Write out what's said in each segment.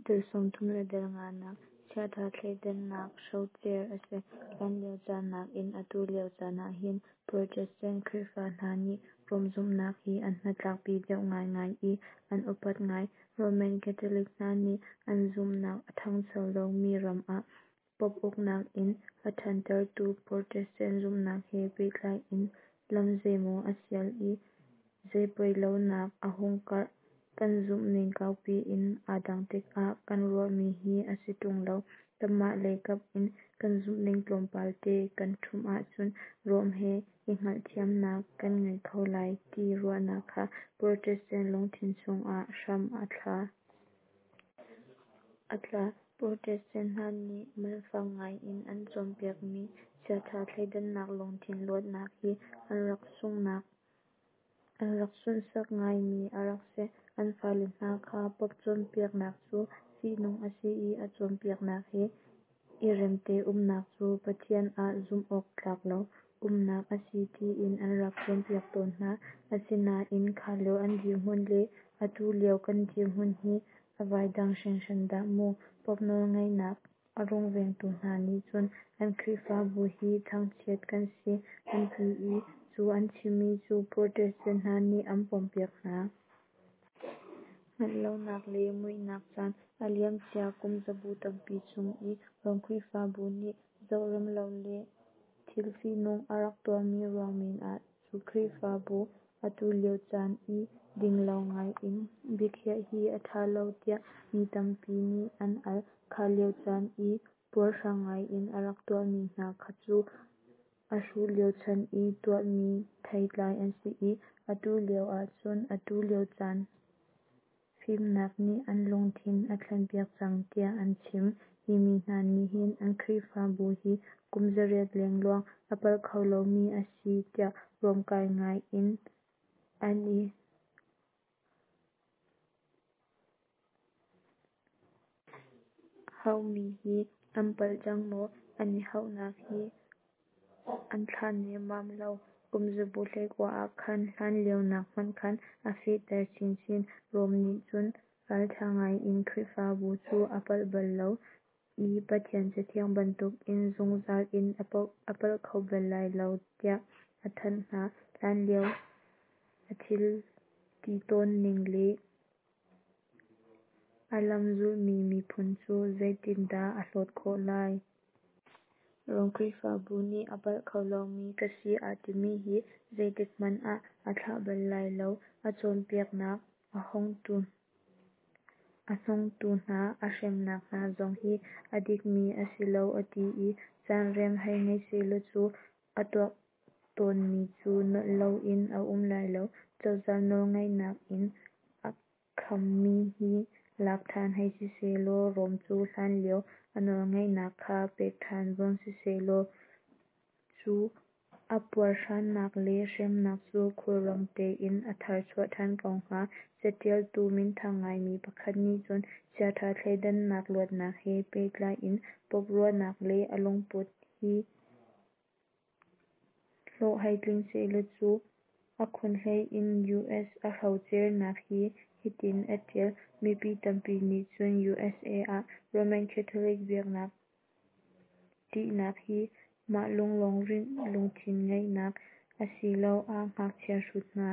Dal 35, Chiatha thleidannak hrocer a si. Hlanlio caan nakin atu lio caan ahhin Protestant Khrihfa hna nih Rom zumhnak hi an hnatlakpi deuh ngaingai i an upat ngai. Roman Catholic hna nih an zumhnak a thangcho lomi ram ah Pope uknak in a thantertu Protestant zumhnak he pehtlai in lam zeimaw a sial i zeipoilonak a hung karh. Kan zumhning kaupi in aa dang tikah kan ruahmi hi a si ṭung lo, kanmah lei kap in kan zumhning tlawmpal te kan ṭhumh ahcun Rome he i hngalhthiamnak kan ngei kho lai ti ruahnak kha Protestant lungthin chungah hram a thla. Protestant hna nih man fak ngaiin an cawnpiakmi chiatha thleidannak lungthin luatnak hi an rak sunhsak ngaimi a rak si. An fale hna kha Pope cawnpiaknak cu fihnung a si i a cawnpiaknak he i remte umnak cu Pathian ah zumh awk tlak lo umnak a si tiin an rak cawnpiak tawn hna. Asinain kha lio an dirhmun le atu lio kan dirhmun hi a vai dang hringhran dah mu. Pope nawlngeihnak a rungvengtu hna nih cun an Khrihfabu hi thangchiat kan si an ti i cu an chimmi cu Protestant hna nih an pompiak hna. Hngalh lonak le muihnak caan, a liamcia kum zabu tampi chung i Rom Khrihfabu nih zoh rem lo le thil fihnung a rak tuahmi ruang men ah cu Khrihfabu atu lio caan i ding lo ngai in biakhiah hi a tha lo tiah mi tampi nih an al. Kha lio caan i puarhrang ngai in a rak tuahmi hna kha cu a hruh lio chan i tuahmi theitlai an si i, atu lio ahcun atu lio caan fimnak nih an lungthin a thlenpiak cang tiah an chim. Hi mi hna nih hin an Khrihfabu hi kum 800 lengluang a palh kho lomi a si tiah ruamkai ngai in an i hauhmi hi an palh cang maw? An i hauhnak hi an thlah nemmam lo. Kum zabu 19 ah khan hlanlio nak hmanh khan a fehter chinchin. Rome nih cun raltha ngai in Khrihfabu cu a palh bal lo i Pathian Cathiang bantukin zungzal in a palh kho bal lai lo tiah a thanh hna. Hlanlio a thil ti tawn ning le a lam zulmi miphun cu zeitindah a hlawt khawh lai? Rom Khrihfabu nih a palh kho lomi ka si aa timi hi zeitik hmanh ah a thlah bal lai lo. A cawnpiaknak, a hnawngtu hna a hremnak hna zong hi a dikmi a si lo a ti i caan rem hei ngei sehlaw cu a tuah tawnmi cu nolh loin a um lai lo. Cozah nawlngeihnak in a khammi hi lak than hei si sehlaw, Rome cu hlanlio a nawlngeihnak kha pek than zong sisehlaw cu a puarhrannak le hremnak cu khulrang tein a tharchuah than ko hnga. Catialtu minthang ngaimi pakhat nih cun chiatha thleidannak luatnak he pehtlai in Pope ruahnak le a lungput hi hlawh hei tling sehlaw cu a khunhlei in US a hrocernak hi hitin a tial: Mipi tampi nih cun usa ah Roman Catholic biaknak tihnak hi mah lunglawmh lungthin ngeihnak asiloah ngakchia hrut hna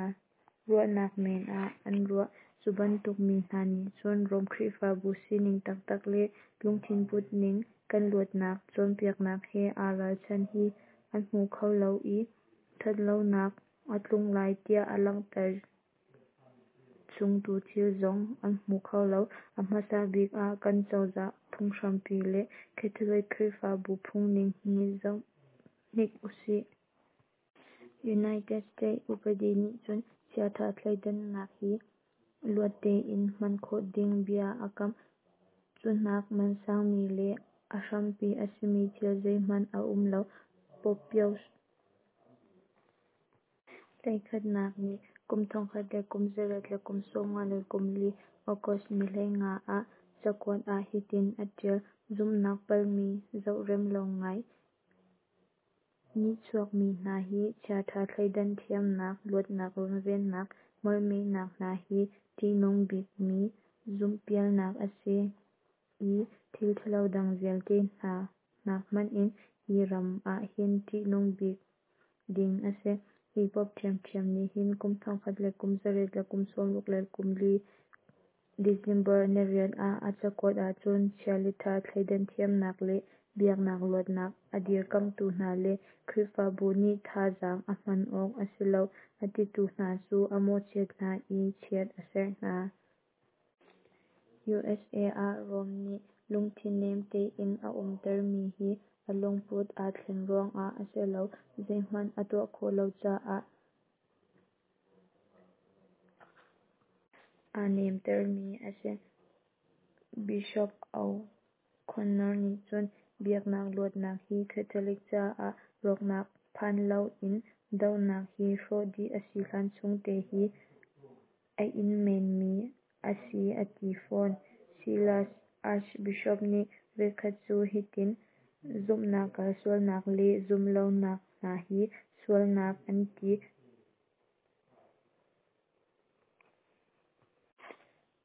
ruahnak men ah an ruah. Cu bantuk mi hna nih cun Rome Khrihfabu sining taktak le lungthin putning, kan luatnak cawnpiaknak he aa ralchan hi an hmu kho lo i, thatlonak a tlung lai tiah a langhter chungtu thil zong an hmu kho lo. A hmasa bik ah kan cozah phunghrampi le Catholic Khrihfabu phungning hi zoh hnik usih. United States upadi nih cun chiatha thleidannak hi luat tein hman khawh ding bia a kamh. Cu hnak mansangmi le a hrampi a simi thil zeihmanh a um lo. Pope Pius XIII nih kum 1894 August ni 15 ah cakuat ah hitin a tial: Zumhnak palhmi zohrem lo ngai nihchuakmi hna hi chiatha thleidan thiamnak luatnak runvennak molhmehnak hna hi tihnung bikmi zumhpialnak a si. i thil ṭhalo dang vialte hna nak hmanh in hi ram ah hin ṭihnung bik ding a si. Hi Pope ṭhiamṭhiam nih hin kum 1864 December niriat ah a cakuat ahcun chia le ṭha thleidan thiamnak le biaknak luatnak a dirkamhtu hna le Khrihfabu nih thazaang a hman awk a si lo a titu hna cu a mawhchiat hna i chiat a serh hna. USA ah Rome nih lungthin nem tein a umtermi hi a lungput aa thlen ruangah a si lo, zeihmanh a tuah khawh lo caah aa nemtermi a si. Bishop O'Connor nih cun biaknak luatnak hi Catholic caah rawknak phan loin dohnak hi hrawh dih a si hlan chung te hi a in menmi a si a ti fawn. Silas Archbishop nih voikhat cu hitin zumhnak kalsualnak le zumhlonak hna hi sualnak an ti.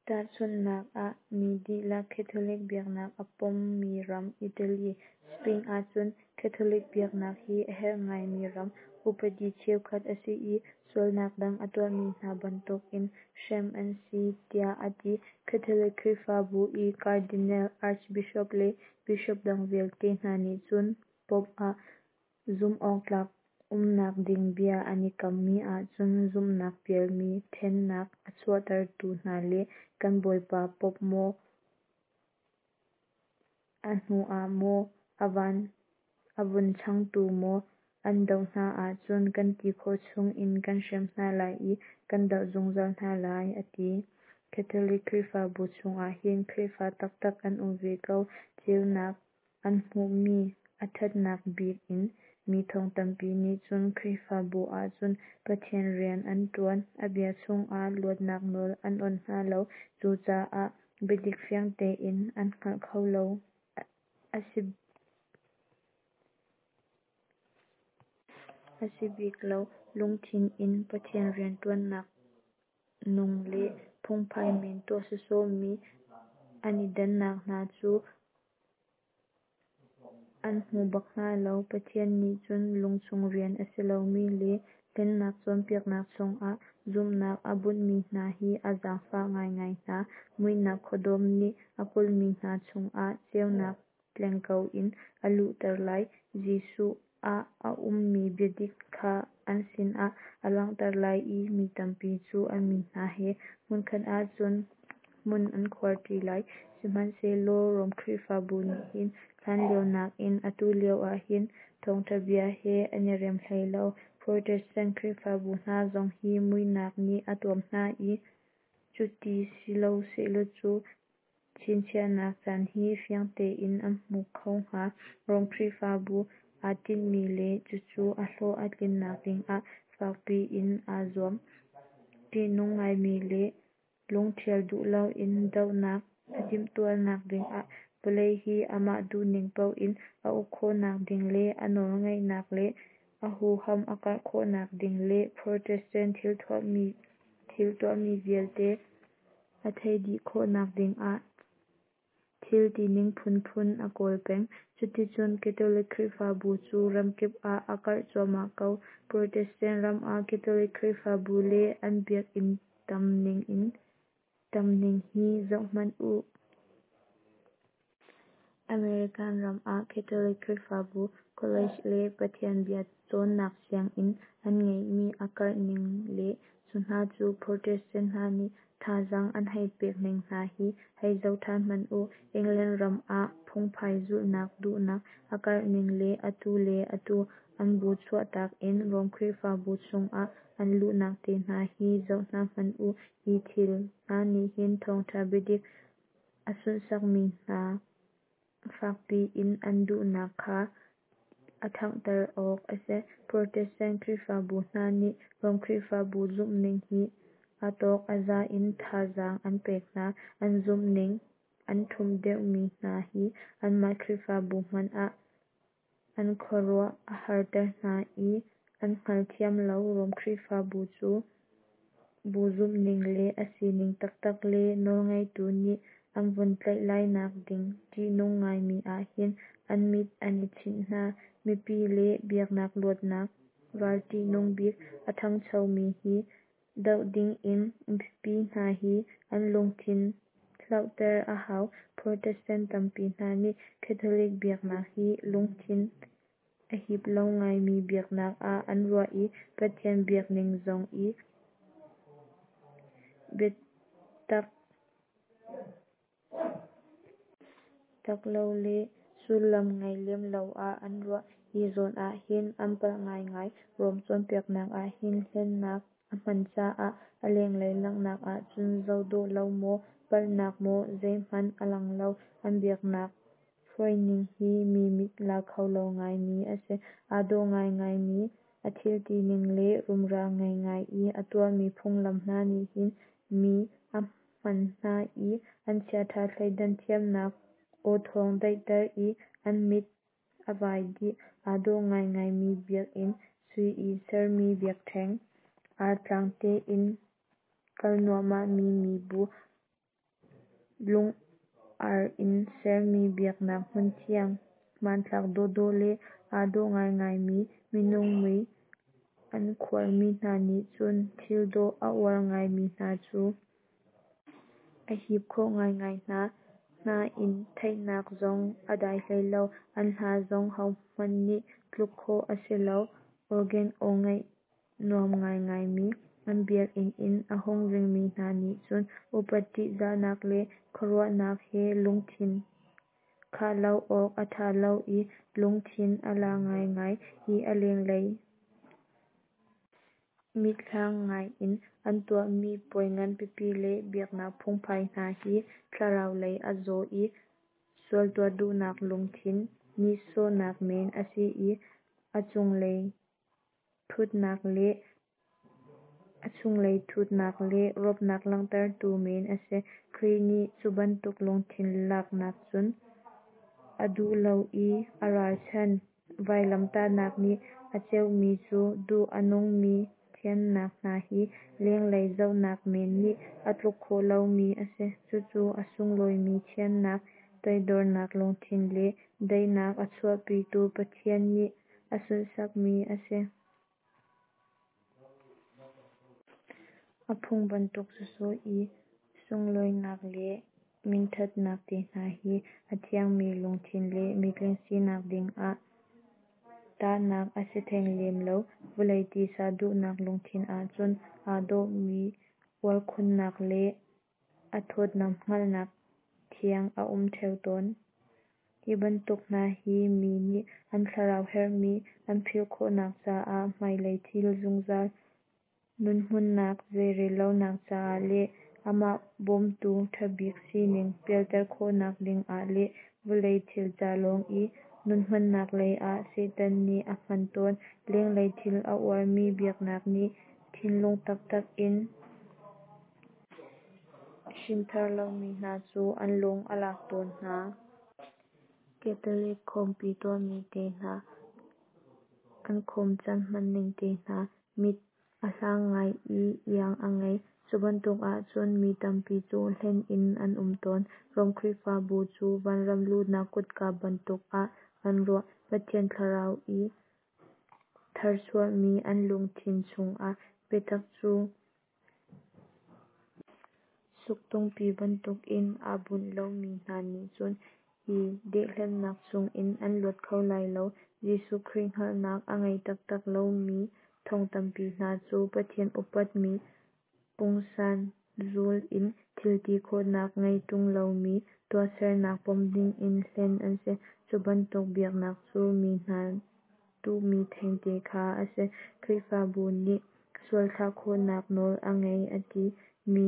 Tahchunhnak ah mi dihlak Catholic biaknak a pommi ram Italy, Spain ahcun Catholic biaknak hi a herh ngaimi ram upadi cheukhat a si i sualnak dang a tuahmi hna bantukin hrem an si tiah a ti. Catholic Khrihfabu i Cardinal, Archbishop le Bishop dang vialte hna nih cun Pope ah zumhawktlak umnak ding bia an i kammi ahcun zumhnak pialmi ṭhennak a chuahtertu hna le kan bawipa Pope maw, a hnu ah maw, a vun changtu maw an doh hna ahcun kan ti khawh chungin kan hrem hna lai i kan doh zungzal hna lai, a ti. Catholic Khrihfabu chungah hin Khrihfa taktak an um ve ko. Ceunak an hmuhmi a ṭhatnak bik in mi thong tampi nih cun Khrihfabu ahcun Pathian rian an ṭuan. A bia chungah luatnak nawl an awnh hna lo. Cucaah biadik fiang tein an hngalh kho lo. A si bik lo. Lungthin in Pathian rianṭuannak nung le phungphai men tuah sawsawhmi an i dannak hna cu an hmu bak hna lo. Pathian nih cun lungchung rian a si lomi le hlennak cawnpiaknak chungah zumhnak a bunhmi hna hi a zaangfah ngaingai hna. Muihnak khuadawm nih a kulhmi hna chungah ceunak tleng ko in a luhter lai. Jesuh ah a ummi biadik kha an sinah a langhter lai i mi tampi cu a mi hna he hmunkhat ahcun hmun an khuar ṭi lai. Sihmanhsehlaw Rom Khrihfabu nih hin hlanlio nakin atu lio ah hin thawngṭha bia he an i rem hlei lo. Protestant Khrihfabu hna zong hi muihnak nih a tuam hna i cuti si lo sehlaw cu chinchiahnak caan hi fiang tein an hmu kho hnga. Rom Khrihfabu aa tinhmi le cucu a hlawh a tlinnak dingah fakpi in aa zuam. Ṭihnung ngaimi le lungṭhial duh loin dohnak a timhtuahnak dingah vawlei hi amah duhning paoh in a uk khawhnak ding le a nawlngeihnak le a huham a karh khawhnak ding le Protestant thil tuahmi vialte a theih dih khawhnak dingah thil tining phunphun a kawl peng. Cuticun Catholic Khrihfabu cu ramkip ah a karh cuahmah ko. Protestant ram ah Catholic Khrihfabu le an biakinn tam ning hi zohhmanh u. American ram ah Catholic Khrihfabu College le Pathian bia cawnnak sianginn an ngeihmi a karh ning le cu hna cu Protestant hna nih thazaang an hei pek ning hna hi hei zoh ṭhan hmanh u. England ram ah phungphai zulhnak duhnak a karh ning le atu le atu an bu chuahtak in Rom Khrihfabu chungah an luhnak te hna hi zoh hna hmanh u. Hi thil hna nih hin thawngṭha biadik a sunhsakmi hna fakpi in an duhnak kha a ṭhanghter awk a si. Protestant Khrihfabu hna nih Rom Khrihfabu zumhning hi a tawk a za in thazaang an pek hna. An zumhning an ṭhumh deuhmi hna hi anmah Khrihfabu hmanh ah an khuaruah a harter hna i an hngalthiam lo. Rom Khrihfabu cu bu zumhning le a sining taktak le nawlngeitu nih an vun tlaih lai nak ding ṭihnung ngaimi ahhin an mit an i chinh hna. Mipi le biaknak luatnak ral ṭihnung bik a ṭhangchomi hi doh dingin mipi hna hi an lungthin hlauhter a hau. Protestant tampi hna nih Catholic biaknak hi lungthin a hip lo ngaimi biaknak ah an ruah i Pathian biakning zong i biatak tak lo le sullam ngei lem lo ah an ruah. Hi zawn ahhin an palh ngaingai. Rom cawnpiaknak ahhin hlennak a hman caah a lenglei langhnak ahcun zohdawh lo maw, palhnak maw zeihmanh a lang lo. An biaknak hruaining hi mi mit la kho lo ngaimi a si. Aa dawh ngaingaimi a thil tining le rumra ngei ngai i a tuahmi phunglam hna nih hin mi a hman hna i an chiaṭha thleidan thiamnak awthawng daihter i an mit a vai dih. Aa dawh ngaingaimi biakinn, sui i sermi biakṭheng, artlang tein kal nuahmahmi mibu, lung-ar in sermi biaknak hmunthiang hmanthlak dawhdawh le aa dawh ngaingaimi minung mui an khuarmi hna nih cun thil dawh a uar ngaimi hna cu a hip khawh ngaingai hna. Nain theihnak zong a dai hlei lo. An hla zong hohmanh nih tluk khawh a si lo. Organ aw ngaih nuam ngaingaimi an biakinn in a hung ringmi hna nih cun upat ṭihzahnak le khuaruahnak he lungthin khah lo awk a ṭha lo i lungthin a la ngaingai. Hi a lenglei mithlang ngai in an tuahmi puai nganpipi le biaknak phungphai hna hi thlarau lei a zaw i sualtuah duhnak lungthin nihsawhnak men a si i a chunglei thutnak le rawpnak langhtertu men a si. Khrih nih cubantuk lungthin laknak cun a duh lo i a ralchanh. Vailamtahnak nih a ceuhmi cu duh a nungmi thiannak hna hi lenglei zohnak men nih a tluk khawh lomi a si. Cucu a sunglawimi thiannak, toidornak lungthin le daihnak a chuahpitu Pathian nih a sunhsakmi a si. A phung bantuk sawsawh i sunlawinak le minṭhatnak te hna hi a thiangmi lungthin le mitling sinak dingah tahnak a si theng lem lo. Vawlei tisa duhnak lungthin ahcun aa dawhmi uarkhunnak le a thawtnam hngalhnak thiang a um ṭheo tawn. Hi bantuk hna hi mi nih an thlarau herhmi an philh khawhnak caah, hmailei thil zungzal nunhmunhnak zeirellonak caah le amah bawmtu ṭhabik sining pialter khawhnak dingah le vawlei thil ca lawng i nunhmannak lei ah Satan nih a hman tawn. Lenglei thil a uarmi biaknak nih thinlung taktak in hrinthar lomi hna cu an lung a lak tawn hna. Catholic khawmpi tuahmi te hna, an khawm caan hmanning te hna mit a hlang ngai i iang a ngei. Cubantuk ahcun mi tampi cu hlen in an um tawn. Rom Khrihfabu cu vanram luhnak kutka bantuk ah an ruah. Pathian thlarau i tharchuahmi an lungthin chungah biatak cu suktungpi bantukin aa bunh lomi hna nih cun hi dehhlennak chungin an luat kho lai lo. Jesuh Khrih hngalhnak a ngei taktak lomi thong tampi hna cu Pathian upatmi pungsan zul in thilti khawhnak ngei ṭung lomi tuahsernak pom dingin hlen an si. Cubantuk biaknak cu mi hna duhmi thengte kha a si. Khrihfabu nih sual thlah khawhnak nawl a ngei a ti mi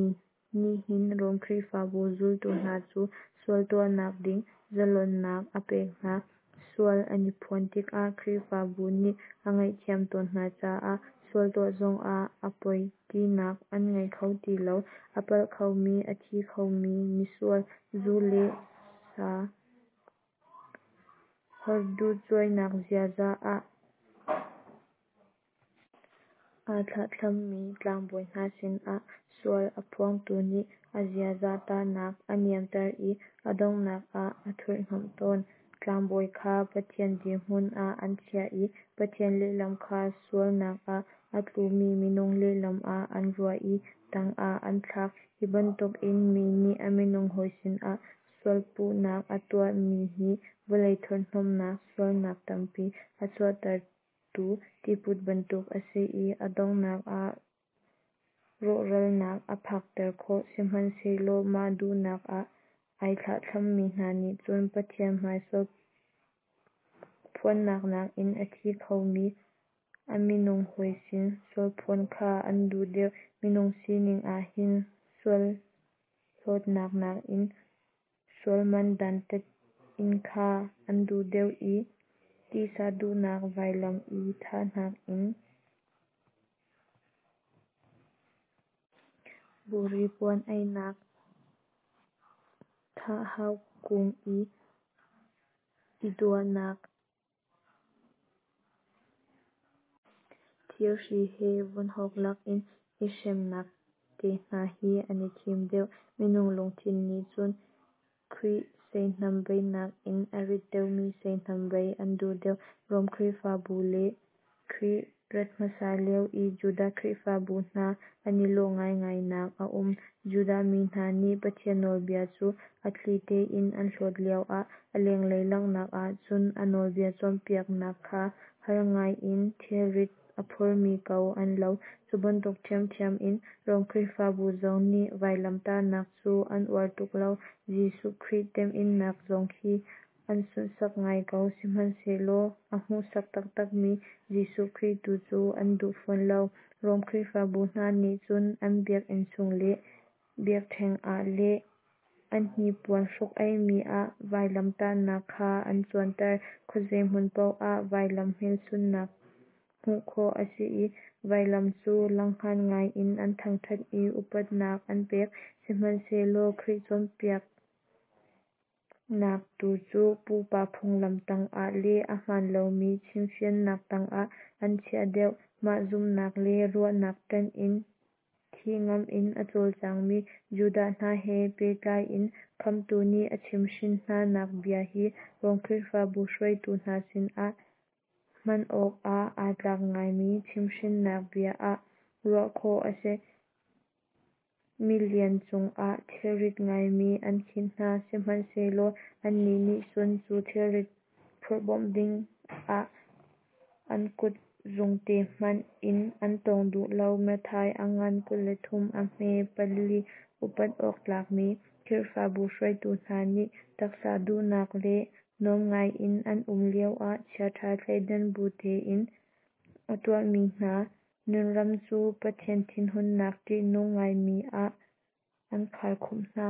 nihhin Rom Khrihfabu zultu hna cu sual tuahnak ding zalonnak a pek hna. Sual an i phuan tikah Khrihfabu nih a ngaihthiam tawn hna caah sual tuah zongah a poi tinak an ngei kho ti lo. A palh khomi, a thi khomi, misual, zu le sa horduhcuainak ziaza ah aa thlahthlammi tlangbawi hna sinah sual a phuangtu nih a ziaza tahnak a niamter i a donghnak ah a thurhhnawmh tawn. Tlangbawi kha Pathian dirhmun ah an chiah i Pathian lehlam kha sualnak ah a tlumi minung lehlam ah an ruah i tangah an thlak. Hi bantukin mi nih a minung hawi sinah sualpuhnak a tuahmi hi vawlei thurhhnawmhnak sualnak tampi a chuahtertu tiput bantuk a si i a donghnak ah rawhralnak a phakter khawh. Sihmanhsehlaw mah duhnak ah ai thlahthlammi hna nih cun Pathian hmai sualphuannak nakin a thi khomi a minung hawi sin sualphuan kha an duh deuh. Minung sining ah hin sualhlawtnak nakin sualman dantat in kha an duh deuh i titsa duhnak vailam i thah nakin buri puan ainak, thahau kung i i duahnak, thirhri he vunhawk lakin i hremnak te hna hi an i thim deuh. Minung lungthin nih cun Khrih seihnam bei nakin a rit deuhmi seihnam bei an duh deuh. Rom Khrihfabu le Khrih rat hmasa lio i Judah Khrihfabu hna an i lawh ngaingai nak a um. Judah mi hna nih Pathian nawlbia cu a thli tein an hlawt lioah a lenglei langhnak ahcun a nawlbia cawnpiaknak kha har ngaiin thilrit a phormi ko an lo. Cu bantuk ṭhiamṭhiam in Rom Khrihfabu zong nih vailamtahnak cu an uar tuk lo. Jesuh Khrih temhinnak zong khi an sunhsak ngai ko, sihmanhsehlaw a hmuhsak taktakmi Jesuh Khrih tu cu an duh fawn lo. Rom Khrihfabu hna nih cun an biakinn chung le biakṭheng ah le an hnipuan hruk-aihmi ah vailamtahnak kha an cuanter. Khuazei hmun paoh ah vailam hmelchunhnak hmuh khawh a si i vailam cu langhngan ngai in an thangṭhat i upatnak an pek. Sihmanhsehlaw Khrih cawnpiaknak tu cu pupa phunglam tangah le a hmaan lomi chimhhrinnak tangah an chiah deuh. Mah zumhnak le ruahnak ṭanh in thih ngamh in a cawlcangmi Judah hna he pehtlai in Khamhtu nih a chimhhrin hna nak bia hi Rom Khrihfabu hruaitu hna sinah hman awkah aa tlak ngaimi chimhhrinnak bia ah ruah khawh a si. Milian cungah thilrit ngaimi an khinh hna, sihmanhsehlaw annih nih cun cu thilrit phurh bawmh dingah an kut zungte hmanh in an tawng duh lo. Matthai a ngan 23 a hme 4. Upat awk tlakmi Khrihfabu hruaitu hna nih taksa duhnak le nuam ngaiin an um lioah chiaṭha thleidan bu tein a tuahmi hna nunram cu Pathian thinhunnak ṭihnung ngaimi ah an kharkhumh hna.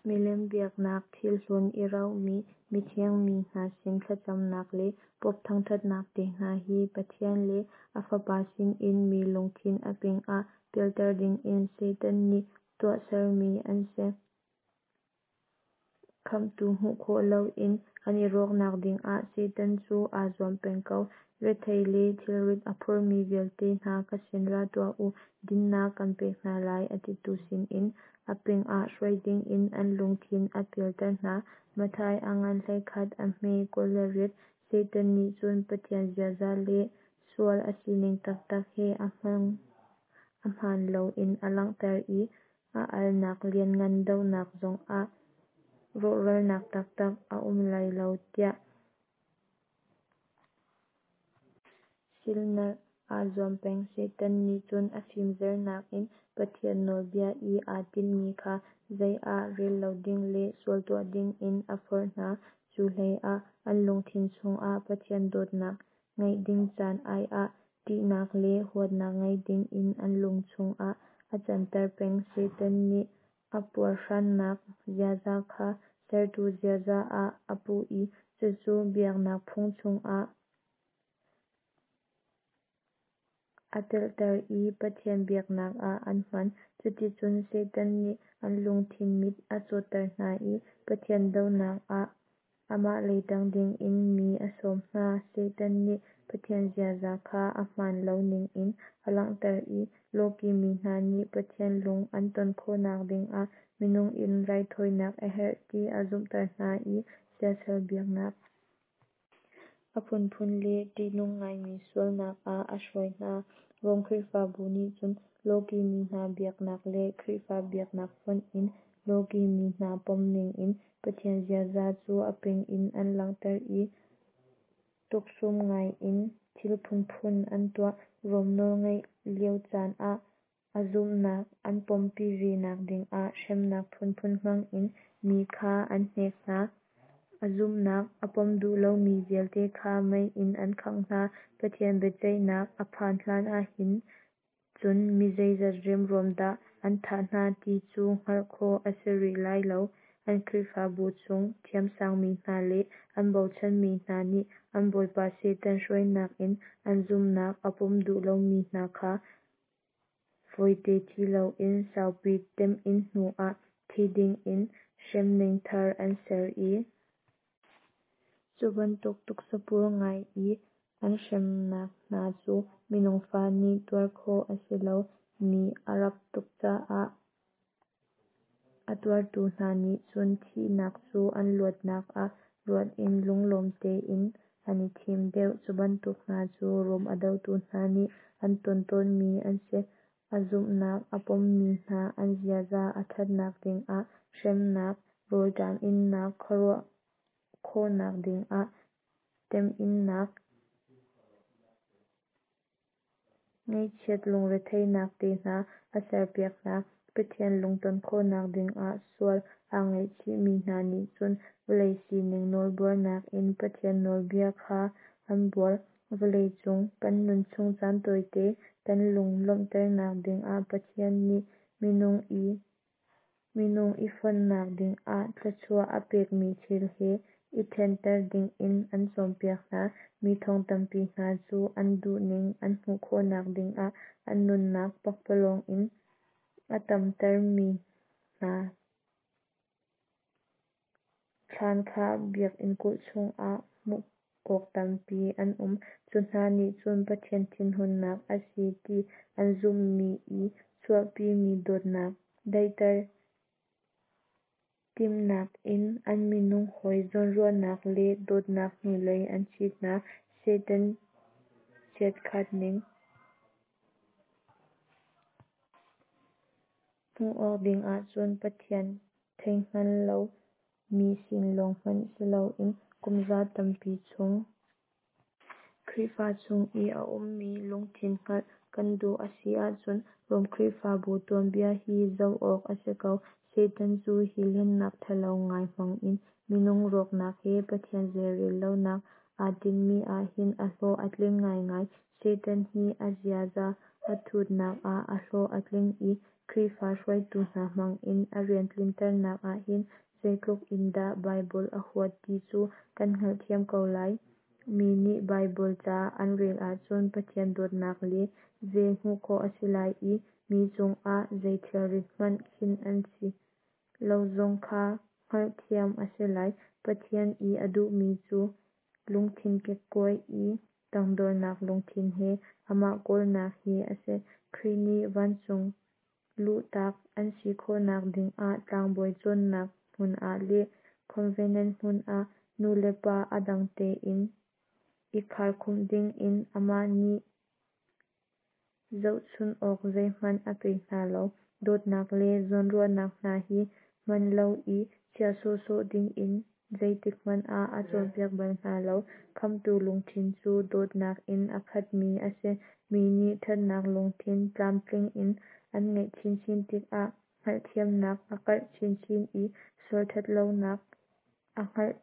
Milem biaknak, thilhlun i rauhmi mithiang mi hna sin thlacamnak le Pope thangṭhatnak te hna hi Pathian le a Fapa sinin mi lungthin a ping ah pialter dingin Satan nih tuahsermi an si. Khamhtu hmuh khawh loin an i rawknak dingah Satan cu aa zuam peng ko. Rethei le thilrit a phormi vialte hna ka sin ra tuah u, dinhnak kan pek hna lai a titu sinin a ping ah hruai dingin an lungthin a pialter hna. Matthai a ngan 11 a hme 28. Satan nih cun Pathian ziaza le sual a sining taktak he a hmaan loin a langhter i a alnak lianngan dohnak zongah rawhralnak taktak a um lai lo tiah silhnalh aa zuam peng. Satan nih cun a fimzernak in Pathian nawlbia i aa tinhmi kha zei ah rel lo ding le sual tuah dingin a forh hna. Cu hleiah an lungthin chungah Pathian dawtnak ngeih ding caan ai ah ṭihnak le huatnak ngei dingin an lung chungah a canter peng. Satan nih a puarhrannak ziaza kha sertu ziaza ah a puh i cucu biaknak phung chungah a telter i Pathian biaknak ah an hman. Cuticun Satan nih an lungthin mit a cawtter hna i Pathian dohnak ah Amah lei tang dingin mi a sawm hna. Satan nih Pathian ziaza kha a hmaan lo ningin a langhter i lawki mi hna nih Pathian lung an ton khawhnak dingah minung in raithawinak a herh ti a zumhter hna i siasal biaknak a phunphun le tihnung ngaimi sualnak ah a hruai hna. Rom Khrihfabu nih cun lawki mi hna biaknak le Khrihfa biaknak fonh in lawki mi hna pomning in Pathian ziaza cu a ping in an langhter i tuksum ngaiin thil phunphun an tuah. Rom nawlngeih lio caan ah a zumhnak an pompi ve nak dingah hremnak phunphun hmangin mi kha an hnek hna. A zumhnak a pom duh lomi vialte kha mei in an khangh hna. Pathian biaceihnak a phan hlan ahhin cun mi zeizat remruam dah an thah hna ti cu hngalh khawh a si rih lai lo. An Khrihfabu chung thiamsang mi hna le an bochanmi hna nih an bawipa Satan hruainak in an zumhnak a pom duh lomi hna kha fawite thi loin saupi temhin hnuah thi dingin hremning thar an ser i cu bantuk tuksapur ngai i an hremnak hna cu minung fa nih tuar khawh a si lo mi a rap tuk caah a tuartu hna nih cun thihnak cu an luatnak ah ruat in lunglawm tein an i thim deuh. Cu bantuk hna cu Rom a dotu hna nih an ton tawnmi an si. A zumhnak a pommi hna an ziaza a thatnak dingah hremnak, rawlṭam innak, khuaruah khawhnak dingah temhinnak, ngaihchiat lungretheihnak te hna a serpiak hna. Pathian lungton khawhnak dingah sual aa ngaihchihmi hna nih cun vawlei sining nawlbuarnak in Pathian nawlbia kha an buar. Vawlei cung kan nunchung caan tawite kan lung lawmhternak dingah Pathian nih minung i fonhnak dingah thluachuah a pekmi thil he i thenter dingin an cawnpiak hna. Mi thong tampi hna cu an duhning an hmuh khawhnak dingah an nunnak pakpalawng in a tamtermi hna thlan kha biakinn kulh chungah hmuh awk tampi an um. Cu hna nih cun Pathian thinhunnak a si ti an zumhmi i chuahpimi dawtnak daihter timhnak in an minung hawi zawnruahnak le dawtnak hnulei an chit hna. Satan chiatkhat ning hmuh awk dingah cun Pathian theihngal lo mi sin lawng hmanh si loin kumza tampi chung Khrihfa chung i a ummi lungthin hngalh kan duh a si ahcun Rom Khrihfabu tuanbia hi zoh awk a si ko. Satan cu hi hlennak thalo ngai hmangin minung rawknak he Pathian zeirel lonak aa tinhmi ahhin a hlawh a tling ngaingai. Satan hi a ziaza a thutnak ah a hlawh a tling i Khrihfa hruaitu hna hmangin a rian tlinternak ahhin zeitluk in dah Baibal a huat ti cu kan hngalhthiam ko lai. Mi nih Baibal ca an rel ahcun Pathian dawtnak le vel hmuh khawh a si lai i mi cungah zei thilrit hmanh khinh an si lo zong kha hngalhthiam a si lai. Pathian i a duhmi cu lungthin kekkuai i tangdornak lungthin he amah kawlnak hi a si. Khrih nih vancung luhtak an si khawhnak dingah tlangbawi cawnnak hmun ah le convent hmun ah nu le pa a dang tein i kharkhumh dingin amah nih zohchun awk zeihmanh a pe hna lo. Dawtnak le zawnruahnak hna hi hman lo i chiah sawhsawh dingin zeitik hmanh ah a cawnpiak bal hna lo. Khamhtu lungthin cu dawtnak in a khatmi a si. Mi nih thatnak lungthin tlamtling in an ngeih chinchin tikah hngalhthiamnak a karh chinchin i sual thatlonak a hngalh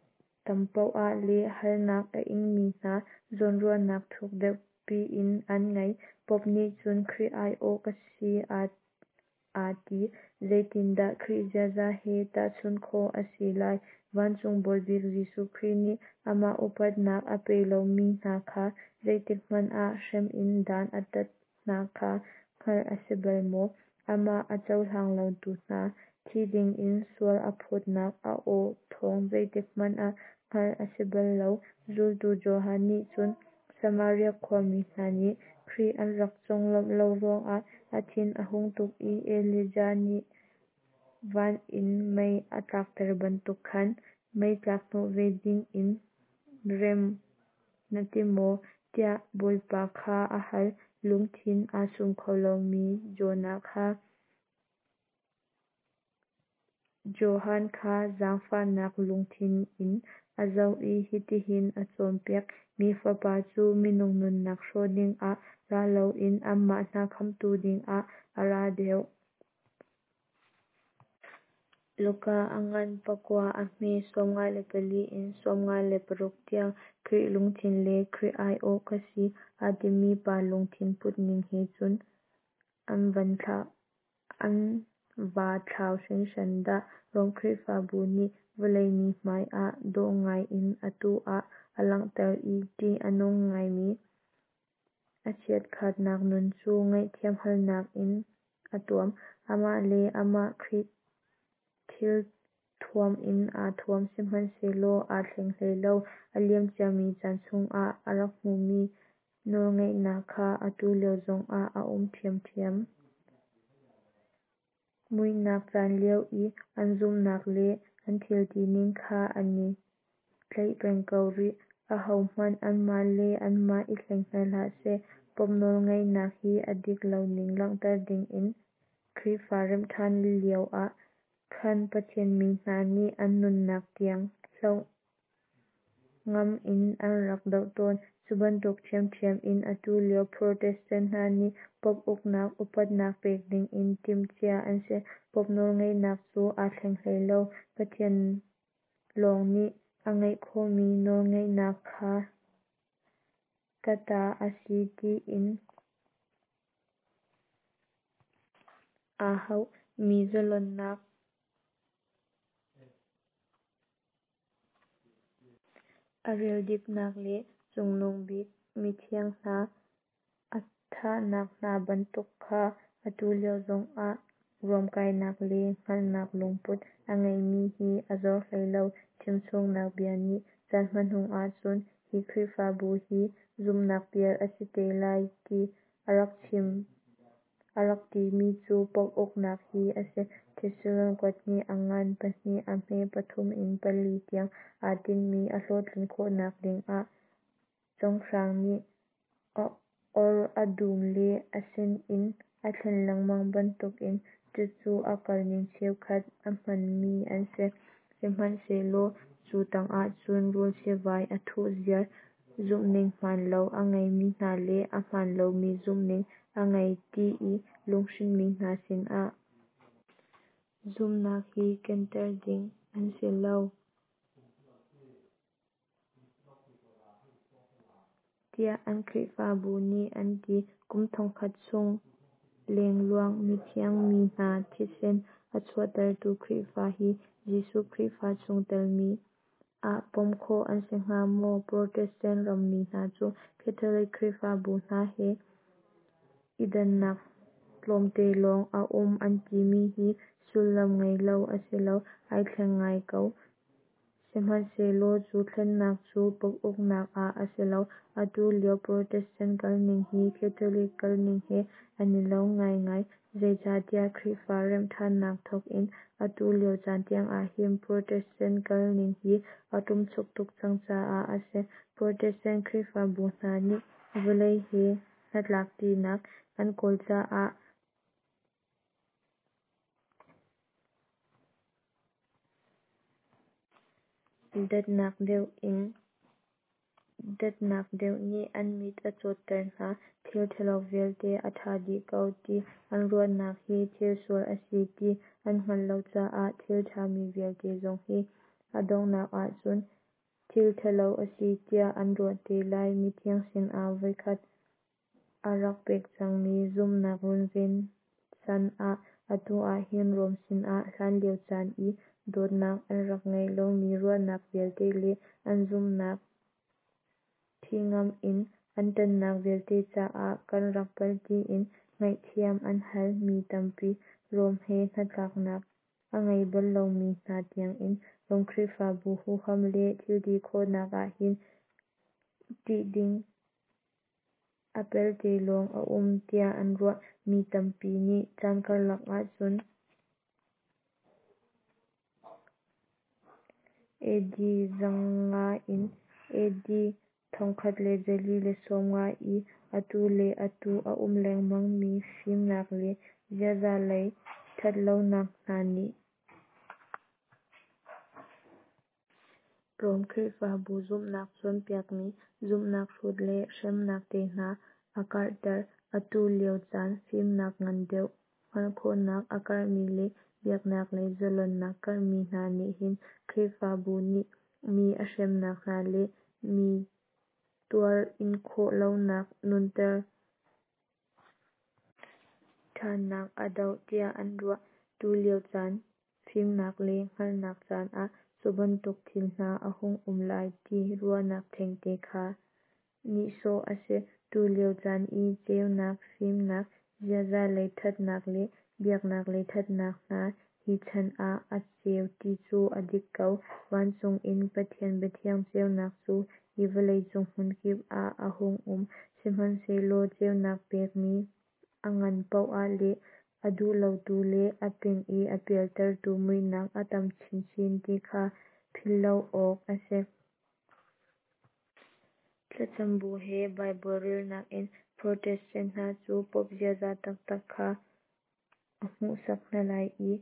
tam paoh ah le harnak a ingmi hna zawnruahnak thuk deuh piin an ngei. Pope nih cun Khrih aiawh ka si aa ti. Zeitindah Khrih ziaza he tahchunh khawh a si lai? Vancung Bawibik Jesuh Khrih nih amah upatnak a pe lomi hna kha zeitik hmanh ah hrem in dan a tat hna kha hngalh a si bal maw? Amah a cohlang lotu hna thi dingin sual a phawtnak a aw thawng zeitik hmanh ah hngalh a si bal lo. Zultu Johan nih cun Samaria khuami hna nih Khrih an rak conglawmh lo ruangah a thin a hung tuk i Elijah nih van in mei a tlakter bantuk khan mei tlak hnawh ve dingin rem na ti maw, tiah Bawipa kha a hal. Lungthin aa sum kho lomi Johan kha zaangfahnak lungthin in a zoh i hitihin a cawnpiak: Mi Fapa cu minung nunnak hrawh dingah ra loin anmah hna khamhtu dingah a ra deuh. Luka a ngan pakua a hme 54 in 56 tiang. Khrih lungthin le Khrih aiawh ka si aa timi pa lungthin putning he cun an vaa thlau hringhran dah! Rom Khrihfabu nih vawlei mi hmai ah dawh ngai in atu ah a langhter i ṭih a nung ngaimi a chiatkhatnak nun cu ngaihthiam halnak in a tuam. Amah le amah Khrih thilthuam in aa thuam, sihmanhsehlaw aa thleng hlei lo. A liam ciami caan chungah a rak hmuhmi nawlngeihnak kha atu lio zongah a um ṭhiamṭhiam. Muihnak caan lio i an zumhnak le an thil tining kha an i tlaih peng ko rih. Ahohmanh anmah le anmah i hleng hna hlah seh. Pope nawlngeihnak hi a dik loning langhter dingin Khrihfa remhṭhan lioah khan Pathian mi hna nih an nunnak tiang hloh ngamh in an rak doh tawn. Cu bantuk ṭhiamṭhiam in atu lio Protestant hna nih Pope uknak upatnak pek dingin timh cia an si. Pope nawlngeihnak cu aa thleng hlei lo. Pathian lawng nih a ngeih khawhmi nawlngeihnak kha ka ta a si tiin aa hauh mi zalonnak a rildipnak le Cungnung Bik mithiang hna a thahnak hna bantuk kha atu lio zongah ruamkainak le hngalhnak lungput a ngeihmi hi a zor hlei lo. Chimchungnak bia nih caan hmanung ahcun hi Khrihfabu hi zumhnak pial a si te lai ti a rak chim a rak timi cu Pope uknak hi a si. Thesalon kuathnih a ngan pahnih a hme pathum in pali tiang. Aa tinhmi a hlawhtlin khawhnak dingah cawnghrang nih a or a dum le a sinin a thlen lengmang bantukin cucu a kalning cheukhat a hmanmi an si. Sihmanhsehlaw cu tangah cun rul sivai a thuh ziar. Zumhning hmaan lo a ngeimi hna le a hmaan lomi zumhning a ngei ti i lunghrinhmi hna sinah zumhnak hi kenter ding an si lo, tiah an Khrihfabu nih an ti. Kum thongkhat chung lengluang mithiang mi hna thisen a chuahtertu Khrihfa hi Jesuh Khrihfa chungtel mi ah pom khawh an si hnga maw? Protestant rammi hna cu Catholic Khrihfabu hna he i dannak tlawmte lawng a um an timi hi sullam ngei lo a si lo. Ai thleng ngai ko. Sihmanhsehlaw cu thlennak cu Pope uknak ah a si lo. Atu lio Protestant kalning hi Catholic kalning he an i lo ngaingai. Zeicatiah Khrihfa remhṭhannak thawk in atu lio caan tiangah hin Protestant kalning hi a ṭumchuk tuk cang caah a si. Protestant Khrihfabu hna nih vawlei he hnatlakṭinak an kawl caah datnak deuh nih an mit a cawtter hna. Thil ṭhalo vialte a ṭha dih ko ti an ruahnak hi thil sual a si ti an hngalh lo caah thil ṭhami vialte zong hi a donghnak ahcun thil ṭhalo a si tiah an ruah te lai. Mithiang sinah voikhat a rak pek cangmi zumhnak runven can ah atu ah hin Rom sinah hlanlio caan i dawtnak an rak ngeih lomi ruahnak vialte le an zumhnak thihngamh in an ṭannak vialte caah kan rak palh tiin ngaihthiam an hal. Mi tampi Rom he hnatlaknak. a ngei bal lomi hna tiangin Rom Khrihfabu huham le thilti khawhnak ah hin ṭih ding a pelte lawng a um tiah an ruah. Mi tampi nih caan karlak ahcun AD 500 in AD 1450 i atu le atu a um lengmang mi fimnak le ziaza lei ṭhatlonak hna nih Rom Khrihfabu zumhnak cawnpiakmi zumhnak hrut le hremnak te hna a karhter. Atu lio caan fimnak ngan deuh, hngalhkhawhnak a karhmi le biaknak lei zalonnak karhmi hna nih hin Khrihfabu nih mi a hremnak hna le mi tuar inkhawh lonak nunter ṭhannak a doh tiah an ruah. Tulio caan fimnak le hngalhnak caan ah cubantuk thil hna a hung um lai ti ruahnak thengte kha nihsawh a si. Tulio caan i ceunak, fimnak, ziaza lei ṭhatnak le biaknak lei ṭhatnak hna hi chan ah a ceu ti cu a dik ko. Vancung in Pathian biathiang ceunak cu hi vawlei cung hmunkip ah a hung um. Sihmanhsehlaw ceunak pekmi a ngan poah le a duh lotu le a ping i a pialtertu muihnak a tam chinchin ti kha philh lo awk a si. Thlacam bu he Baibal relnak in Protestant hna cu Pope ziaza taktak kha a hmuhsak hna lai i,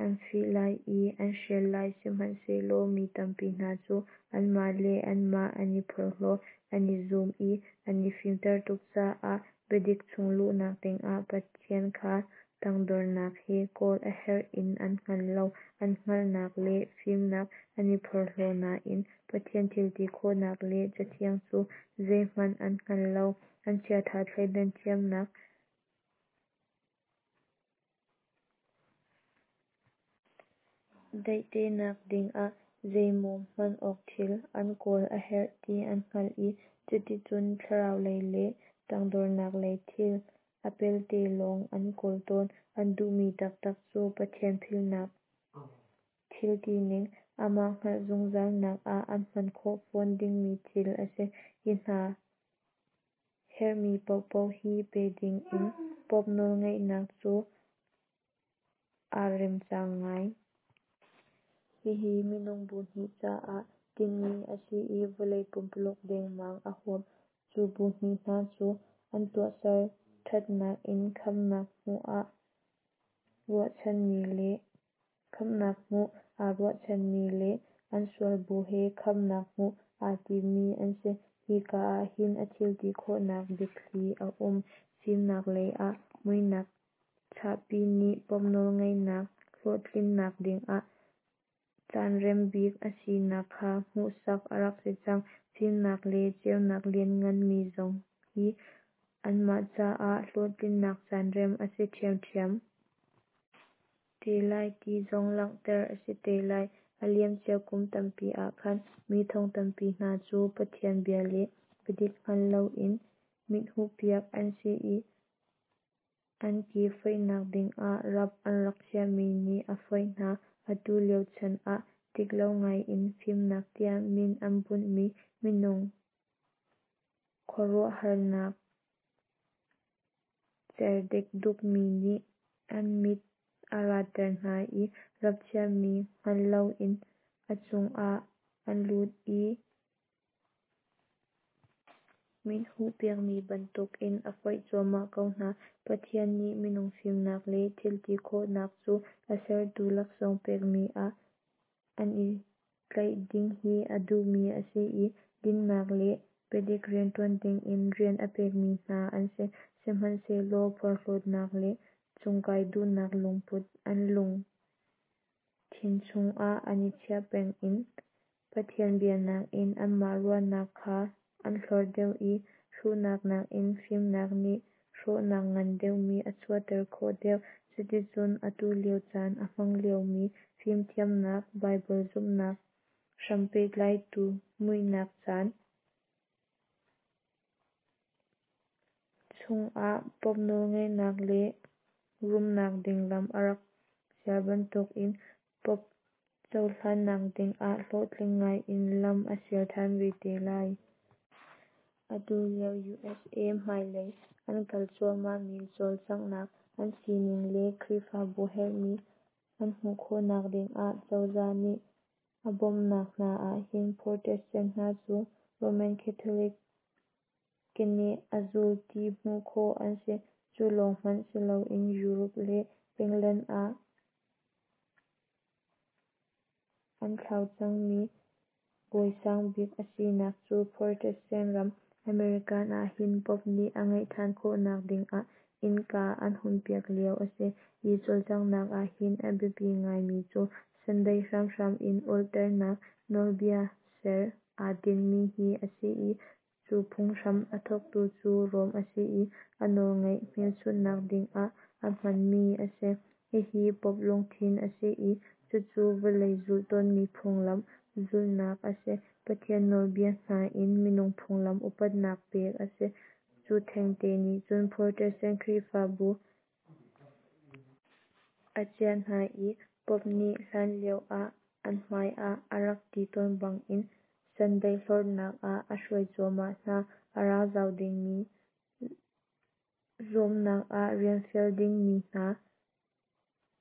an fih lai i an hrial lai. Sihmanhsehlaw mi tampi hna cu anmah le anmah an i phorhlaw, an i zum i an i fimter tuk caah biadik chung luhnak dingah Pathian kha tangdornak he kawl a herh in an hngal lo. An hngalhnak le fimnak an i phorhlaw nain Pathian thilti khawhnak le Cathiang cu zeihmanh an hngal lo. An chiaṭha thleidan thiamnak daihternak dingah zeimaw hman awk thil an kawl a herh ti an hngalh i cuticun thlarau lei le tangdornak lei thil a pelte lawng an kawl tawn. An duhmi taktak cu Pathian philhnak thiltining, amah hngalh zungzalnak ah an hman khawh fawn dingmi thil a si. Hi hna herhmi paohpaoh hi pe dingin Pope nawlngeihnak cu aa remcang ngai. Hihi minung bu hnih caah tinhmi a si i vawlei pumpululuk dengmang a huap. Cu bu hnih hna cu an tuahser ṭhatnak in khamhnak hmuh aa ruahchanmi le an sual bu he khamhnak hmuh aa timmi an si. Hika ah hin a thilti khawhnak biathli a um. Fimnak lei ah muihnak chahpi nih Pope nawlngeihnak hlawhtlinnak dingah caanrem bik a sinak kha hmuhsak a rak si cang. Fimnak le ceunak lianngan mi zong hi anmah caah hlawhtlinnak caanrem a si ṭhiamṭhiam te lai ti zong langhter a si te lai. A liamcia kum tampi ah khan mi thong tampi hna cu Pathian bia le biadik hngal loin mithuhpiak an si i an ke foihnak dingah rap an rak chiahmi nih a foih hna. Atu lio chan ah diklo ngaiin fimnak tiah min an bunhmi minung khuaruahharnak cer dekdukmi nih an mit a ratter hna i rap chiahmi hngal loin a chungah an lut i mithuh piakmi bantukin a foih cuahmah ko hna. Pathian nih minung fimnak le thilti khawhnak cu a sertu laksawng pekmi ah an i tlaih ding hi a duhmi a si i dinnak le biadik rianṭuan dingin rian a pekmi hna an si. Sihmanhsehlaw phorhlawtnak le cungkai duhnak lungput an lungthin chungah an i chiah peng i Pathian bia nakin anmah ruahnak kha an hlorh deuh i hruhnak nakin fimnak nih hrawhnak ngan deuhmi a chuahter khawh deuh. Cuticun atu lio caan a hmang liomi fimthiamnak, Baibal zumhnak hram pehtlaitu muihnak caan chungah Pope nawlngeihnak le rumnak ding lam a rak sial bantukin Pope cohlannak dingah hlawhtling ngaiin lam a sial than ve te lai. Atu lio USA hmailei an kal cuahmahmi cawlcanghnak, an sining le Khrihfabu herhmi an hmuh khawhnak dingah cozah nih a bawmhnak hna ahhin Protestant hna cu Roman Catholic keneh a zul ti hmuh khawh an si. Cu lawng hmanh siloin Europe le England ah an thlau cangmi bawi sangbik a sinak cu Protestant ram American ahhin Pope nih a ngeih than khawhnak dingah innka an hunpiak lio a si. Hi cawlcanghnak ahhin a biapi ngaimi cu Sunday hramhram in ulhternak nawlbia ser aa tinhmi hi a si i, cu phunghram a thawktu cu Rome a si i, a nawlngeih hmelchunhnak dingah a hmanmi a si. Hihi Pope lungthin a si i, cucu vawlei zulh tawnmi phunglam zulhnak a si. Pathian nawlbia nakin minung phunglam upatnak pek a si. Cu thengte nih cun Protestant Khrihfabu a ciah hna i, Pope nih hlanlio ah an hmai ah a rak ti tawn bangin Sunday hlorhnak ah a hruai cuahmah hna. A ra zau dingmi zuamnak ah rianfial dingmi hna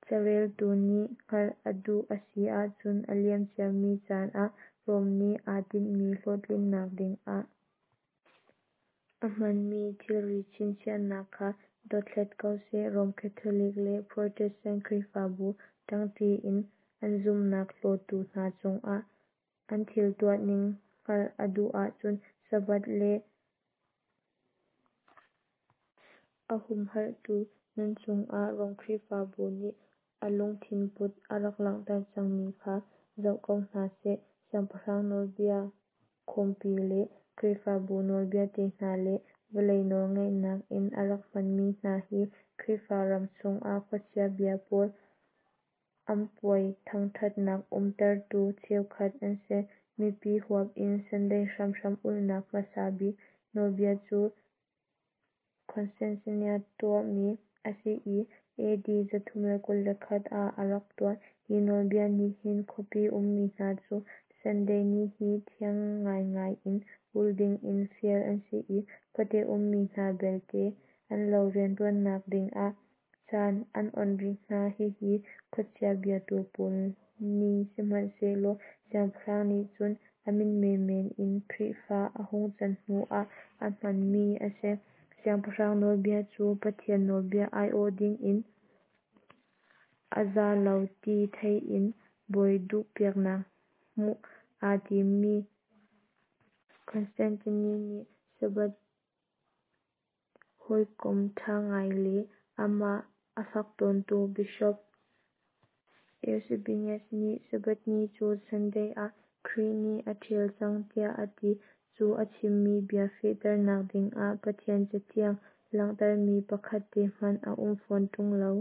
careltu nih hngalh a duh a si ahcun a liamciami caan ah Rome nih aa tinhmi hlawhtlinnak dingah a hmanmi thilri chinchiahnak kha dothlat ko seh. Rome Catholic le Protestant Khrihfabu ṭangṭi in an zumhnak hlawtu hna cungah an thil tuahning hngalh a duh ahcun Sabbath le a humhalhtu nan cungah Rom Khrihfabu nih a lungthinput a rak langhter cangmi kha zoh ko hna seh. Siangpahrang nawlbia khawmpi le Khrihfabu nawlbia te hna le vawlei nawlngeihnak in a rak hmanmi hna hi Khrihfa ram chungah khuachia bia pawl an puai thangthatnak umtertu cheukhat an si. Mipi huap in Sunday hramhram ulhnak hmasa bik nawlbia cu Constantine tuahmi a si i, AD 321 ah a rak tuah. Hi nawlbia nih hin khuapi ummi hna cu Sunday ni hi thiang ngaingai in ul dingin fial an si i, khuate ummi hna belte an lo rianṭuannak dingah caan an onh rih hna. Hihi khuachia biatu pawl ni sihmanhsehlaw siangpahrang nih cun a min menmen in Khrihfa a hung can hnu ah a hmanmi a si. Siangpahrang nawlbia cu Pathian nawlbia aiawh dingin a za lo ti thei in bawi duhpiaknak hmuh aa timmi Constantine nih Sabbath hawikom ṭha ngai le amah a fak tawntu Bishop Eusebius nih Sabbath ni cu Sunday ah Khrih nih a ṭhial cang tiah a ti. Cu a chimmi bia fehternak dingah Pathian Cathiang langhtermi pakhat te hmanh a um fawn ṭung lo.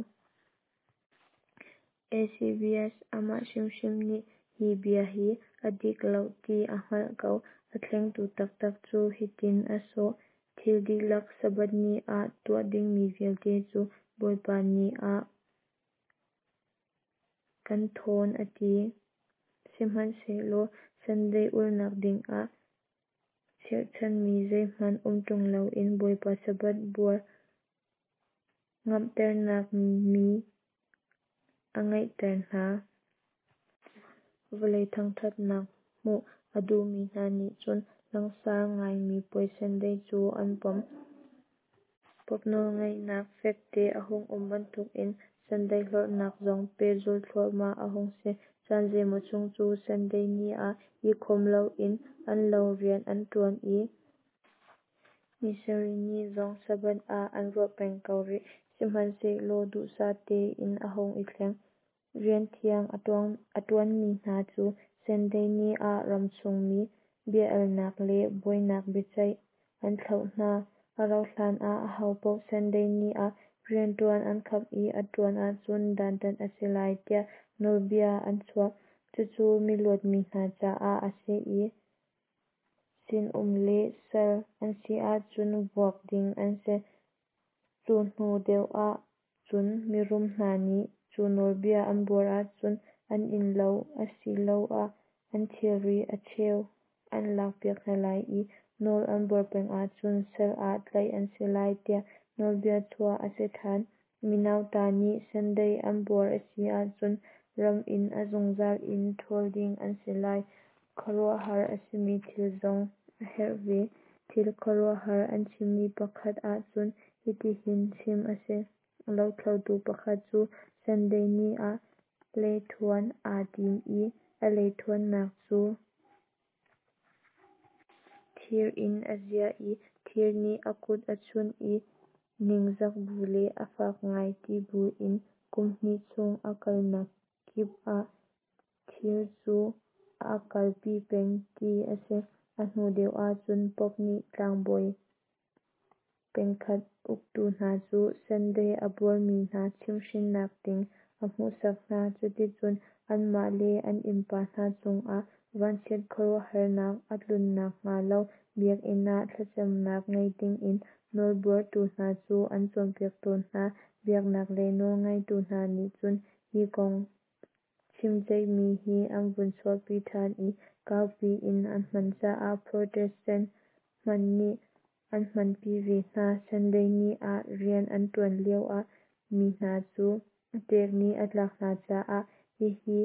Eusebius amah hrimhrim nih hi bia hi a dik lo ti a hngalh ko. A thlengtu taktak cu hitin a sawh: Thil dihlak Sabbath ni ah tuah dingmi vialte cu Bawipa ni ah kan thawn a ti. Sihmanhsehlaw Sunday ulhnak dingah cherhchanmi zeihmanh um ṭung loin Bawipa Sabbath buar ngamhternak mi a ngeihter hna. Vawlei thangṭhatnak hmuh a duhmi hna nih cun langhsar ngaimi puai Sunday cu an pom. Pope nawlngeihnak fekte a hung um bantukin Sunday hlorhnak zong pehzulh thluahmah a hung si. Caan zeimaw chung cu Sunday ni ah i khawm loin an lo rian an ṭuan i, ni sarih ni zong Sabbath ah an ruah peng ko rih. Sihmanhsehlaw duhsah tein a hung i thleng. Rianthiang a ṭuanmi hna cu Sunday ni ah ramchungmi bia-alnak le buainak biaceih an thlauh hna. A rauhhlan ah ahopaoh Sunday ni ah rianṭuan an khap i a ṭuan ahcun dantat a si lai tiah nawlbia an chuah. Cucu miluatmi hna caah a si i, sinum le sal an si ahcun vuak ding an si. Cu hnu deuh ah cun mirum hna nih Cu nawlbia an buar ahcun an innlo asiloah an thilri a cheu an lakpiak hna lai i nawl an buar peng ahcun sal ah tlaih an si lai tiah nawlbia chuah a si ṭhan. Mi nauta nih Sunday an buar a si ahcun ram in a zungzal in ṭhawl ding an si lai. Khuaruahhar a simi thil zong a herh ve. Thil khuaruahhar an chimmi pakhat ahcun hitihin chim a si. Lothlotu pakhat cu Sunday ni ah leithuan aa tim i a leithuannak cu thir in a ziah i thir nih a kut a chunh i ningzak bu le a fak ngai ti buin kum hnih chung a kalnak kip ah thir cu aa kalpi peng ti a si. A hnu deuh ahcun Pope nih tlangbawi pengkhat uktu hna cu Sunday a buarmi hna chimhhrinnak ding a hmuhsak hna. Cuticun anmah le an innpa hna cungah vanchiat khuaruahharnak a tlunnak hnga lo biakinn ah thlacamnak ngei dingin nawlbuartu hna cu an cawnpiak tawn hna. Biaknak lei nawlngeitu hna nih cun hi kong chimceihmi hi an vun chuahpi ṭhan i kaupi in an hman caah Protestant hmanh nih an hmanpi ve hna. Sunday ni ah rian an ṭuan lioah mi hna cu ṭek nih a tlak hna caah hihi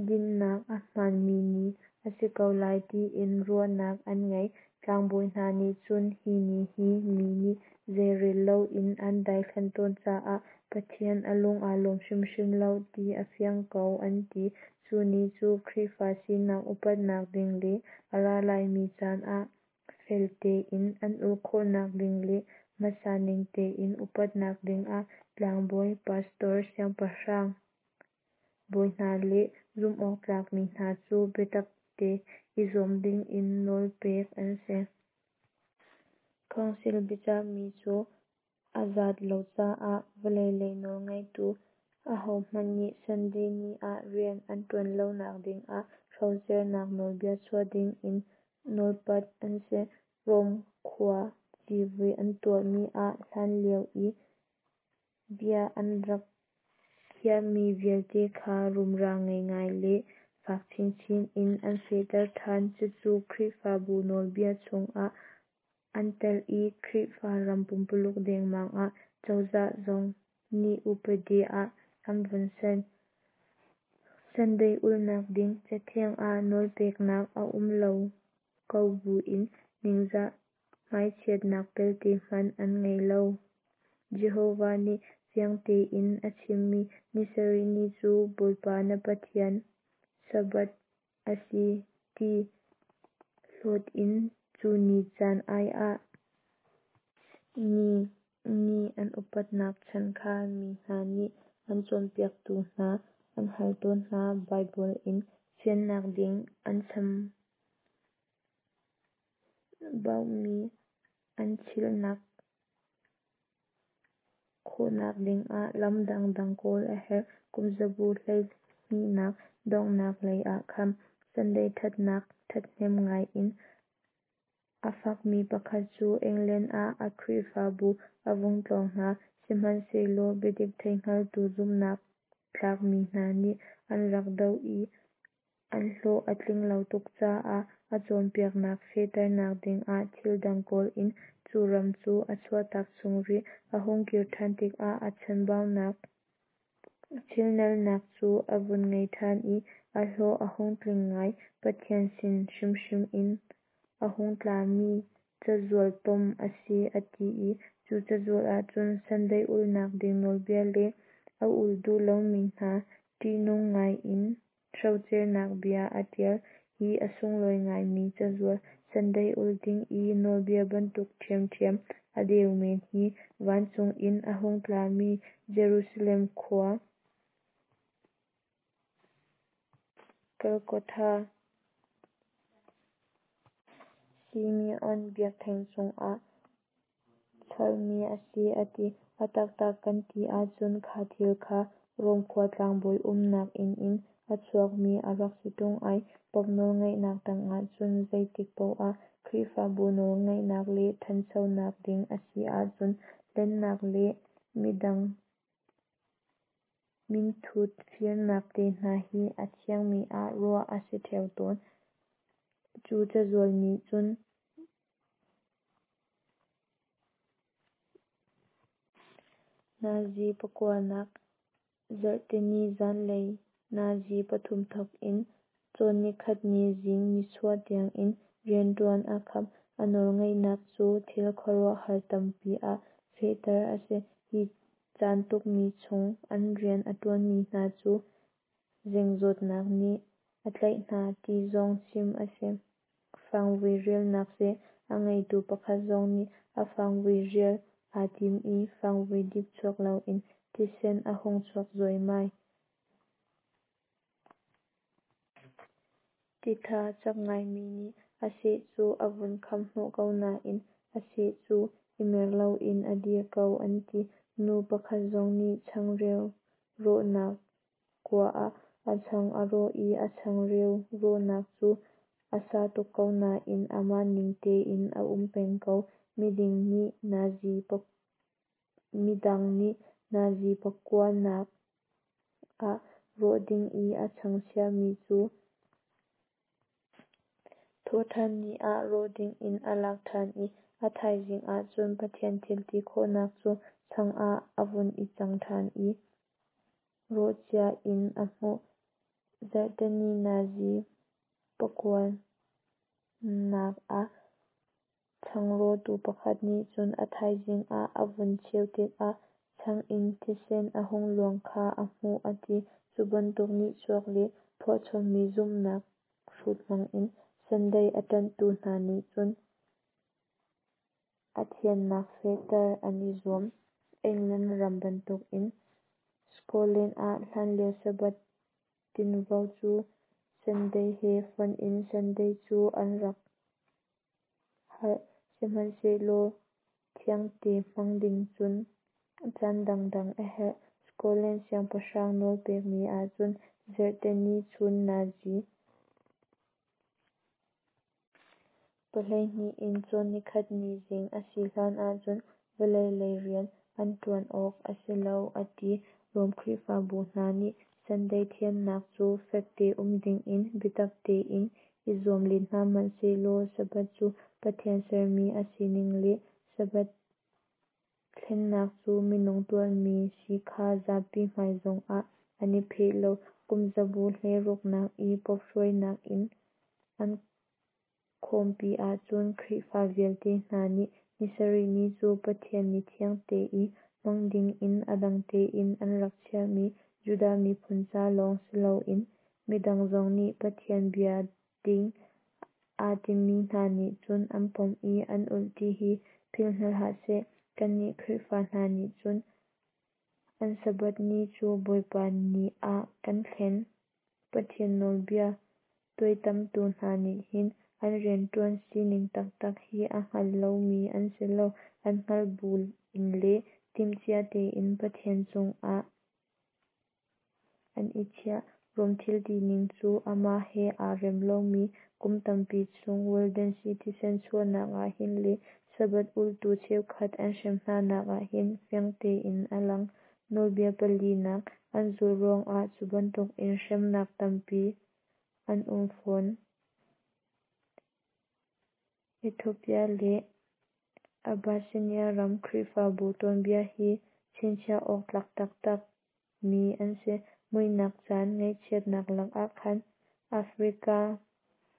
dinhnak a hmaanmi ni a si ko lai tiin ruahnak an ngei. Tlangbawi hna nih cun hi ni hi mi nih zeirel loin an daithlanh tawn caah Pathian a lung aa lawm hrimhrim lo ti a fiang ko an ti. Cu ni cu Khrihfa sinak upatnak ding le a ra laimi caan ah fel tein an ulh khawhnak ding le hmasa ning tein upatnak dingah tlangbawi, pastor, siangpahrang bawi hna le zumhawktlakmi hna cu biatakte i zuam dingin nawl pek an si. Council biachahmi cu a zat lo caah vawlei lei nawlngeitu ahohmanh nih Sunday ni ah rian an ṭuan lonak dingah hrocernak nawlbia chuah dingin nawlpat an si. Rome khua civui an tuahmi ah hlanlio i bia an rak khiahmi vialte kha rumra ngei ngai le fak chinchin in an fehter ṭhan. Cucu Khrihfabu nawlbia chungah an telh i Khrihfa ram pumpululuk dengmang ah cozah zong nih upadi ah an vun ser. Sunday ulhnak ding Cathiang ah nawlpeknak a um lo ko buin ningzah hmaichiatnak pelte hmanh an ngei lo. Jehovah nih fiang tein a chimmi ni sarih ni cu Bawipa na Pathian Sabbath a si ti hlawt in cu ni caan ai ah ni ni an upatnak chan kha mi hna nih an cawnpiaktu hna an hal tawn hna. Baibal in fiannak ding an chambaumi an chilhnak khawhnak dingah lam dangdang kawl a herh. Kumzabu 12nak donghnak lei ah khan Sunday ṭhatnak ṭhahnem ngai in a fakmi pakhat cu England ah a Khrihfabu a vung tlawng hna. Sihmanhsehlaw biadik theihngaltu zumhnak tlakmi hna nih an rak doh i an hlawh a tling lo tuk caah a cawnpiaknak fehternak dingah thil dang kawl in cu ram cu a chuahtak chung rih. A hung kir ṭhan tikah a chanbaunak chilnalnak cu a vun ngei ṭhan i a hlawh a hung tling ngai. Pathian sin hrimhrim in a hung tlami cazual tom a si a ti i cu cazual ahcun Sunday ulhnak ding nawlbia le a ul duh lomi hna ṭihnung ngai in hrocernak bia a ṭial. Hi a sunglawi ngaimi cazual Sunday ulh ding i nawlbia bantuk ṭhiamṭhiam a deu men hi vancung in a hung tlami Jerusalem khua Golgotha Simeon biakṭheng cungah chalmi a si a ti. A taktak kan ti ahcun kha thil kha Rom khua tlangbawi umnak inn in a chuakmi a rak si ṭung ai. Pope nawlngeihnak tangah cun zeitik paoh ah Khrihfabu nawlngeihnak le ṭhanchonak ding a si ahcun hlennak le midang. Minthut firnak te hna hi a thiangmi ah ruah a si ṭheo tawn. Cu cazual nih cun Nazi pakuanak Zarhteni zanlei nazi pathum thawk in cawnnikhatni zing nichuah tiangin rianṭuan a khap. A nawlngeihnak cu thil khuaruahhar tampi ah fehter a si. Hi caan tukmi chung an rian a ṭuanmi hna cu zeng zawtnak nih a tlaih hna ti zong chim a si. Fangvui rialnak seh a ngeitu pakhat zong nih a fangvui rial aa tim i fangvui dip chuak loin thisen a hung chuak zuaimai. Titha cak ngaimi nih a seh cu a vun kham hnawh ko nain a seh cu i mer loin a dir ko an ti. Nu pakhat zong nih changreu rawhnak kua ah a chang a rawh i a changreu rawhnak cu a sa tuk ko nain amah ning tein a um peng ko. Midang nih nazi pakuanak ah rawh ding i a chang chiahmi cu thawhṭhan ni ah rawh dingin a lak ṭhan i a thaizing ah cun Pathian thil ti khawhnak cu chang ah a vun i cang ṭhan i rawh cia in a hmuh. Zarhteni nazi pakuanak ah changrawhtu pakhat nih cun a thaizing ah a vun cheu tikah chang in thisen a hung luang kha a hmuh a ti. Cu bantuk nihchuak le phuahchommi zumhnak hrut hmangin Sunday a ṭanhtu hna nih cun a thiannak fehter an i zuam. England ram bantukin Scotland ah hlanlio Sabbath tinvo cu Sunday he fonh in Sunday cu an rak harh. Sihmanhsehlaw thiangte hmang ding cun caan dangdang a herh. Scotland siangpahrang nawlpekmi ahcun Zarhteni chun nazi 12 in cawnnikhatni zing a si hlan ahcun vawlei lei rian an ṭuan awk a si lo a ti. Rom Khrihfabu hna nih Sunday thiannak cu fekte um dingin biatak tein i zuam len hna hmanh sehlaw Sabbath cu Pathian sermi a sining le Sabbath thlennak cu minung tuahmi si kha zapi hmai zongah an i pheh lo. Kum zabu 16 nak i Pope hruainak in an khawmpi ahcun Khrihfa vialte hna nih ni sarih ni cu Pathian ni thiangte i hmang dingin a dang tein an rak chiahmi Judah miphun ca lawng siloin midang zong nih Pathian bia ding aa timi hna nih cun an pom i an ulh ti hi philh hna hlah seh. Kannih Khrihfa hna nih cun an Sabbath ni cu Bawipa ni ah kan thlen. Pathian nawlbia tuaitamtu hna nih hin an rianṭuan sining taktak hi a hngal lomi an si lo. An hngalh bu in le timhcia tein Pathian cungah an i chiah. Rom thil tining cu amah he aa rem lomi kum tampi chung Waldensi thisen chuahnak ah hin le Sabbath ulhtu cheukhat an hrem hnanak ah hin fiang tein a lang. Nawlbia palinak an zulh ruangah cu bantukin hremnak tampi an um fawn. Ethiopia le Abyssinia ram Khrihfabu tuanbia hi chinchiah awk tlak taktak mi an si. Muihnak caan ngaihchiatnak lakah khan Africa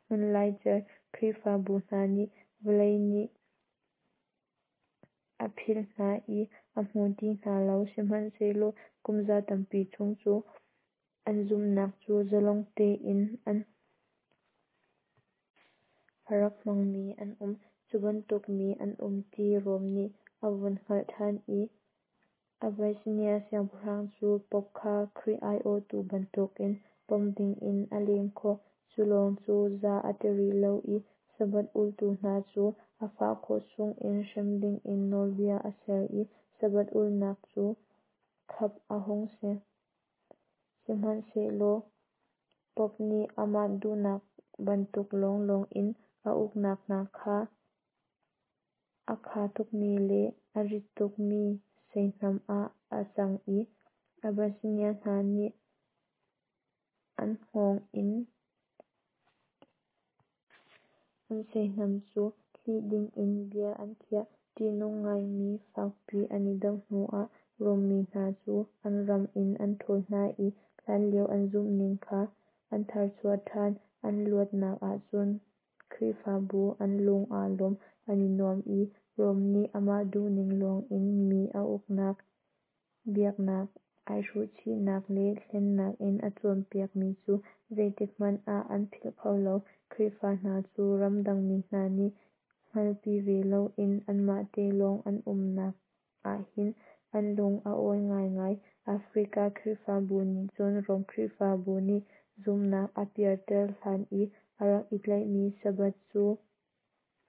hmunlaicer Khrihfabu hna nih vawlei nih a philh hna i a hmu ti hna lo. Sihmanhsehlaw kumza tampi chung cu an zumhnak cu zalong tein an a rak hmangmi an um. Cu bantuk mi an um ti Rom nih a vun hngalh ṭhan i Abyssinia siangpahrang cu Pope kha Khrih aiawhtu bantukin pom dingin a lem khawh. Cu lawng cu za a ti rih lo i Sabbath ulhtu hna cu a fah khawh chungin hrem dingin nawlbia a ser i Sabbath ulhnak cu khap a hung si. Sihmanhsehlaw Pope nih amah duhnak bantuk lawnglawng in a uknak hna kha a kha tukmi le a rit tukmi seihnam ah a cang i. Abyssinia hna nih an hngawng in an seihnam cu hlih dingin bia an khiah. Ṭihnung ngaimi fakpi an i doh hnuah Rom mi hna cu an ram in an ṭhawl hna i hlanlio an zumhning kha an tharchuah ṭhan. An luatnak ahcun Khrihfabu an lung aa lawm, an i nuam i Rom nih amah duhning lawngin mi a uknak, biaknak aihruhchihnak le hlennak in a cawnpiak mi cu zeitik hmanh ah an philh kho lo. Khrihfa hna cu ramdang mi hna nih hngalhpi ve loin anmah te lawng an umnak ahhin an lung a awi ngaingai. Africa Khrihfabu nih cun Rom Khrihfabu nih zumhnak a pialter hlan i a rak i tlaihmi Sabbath cu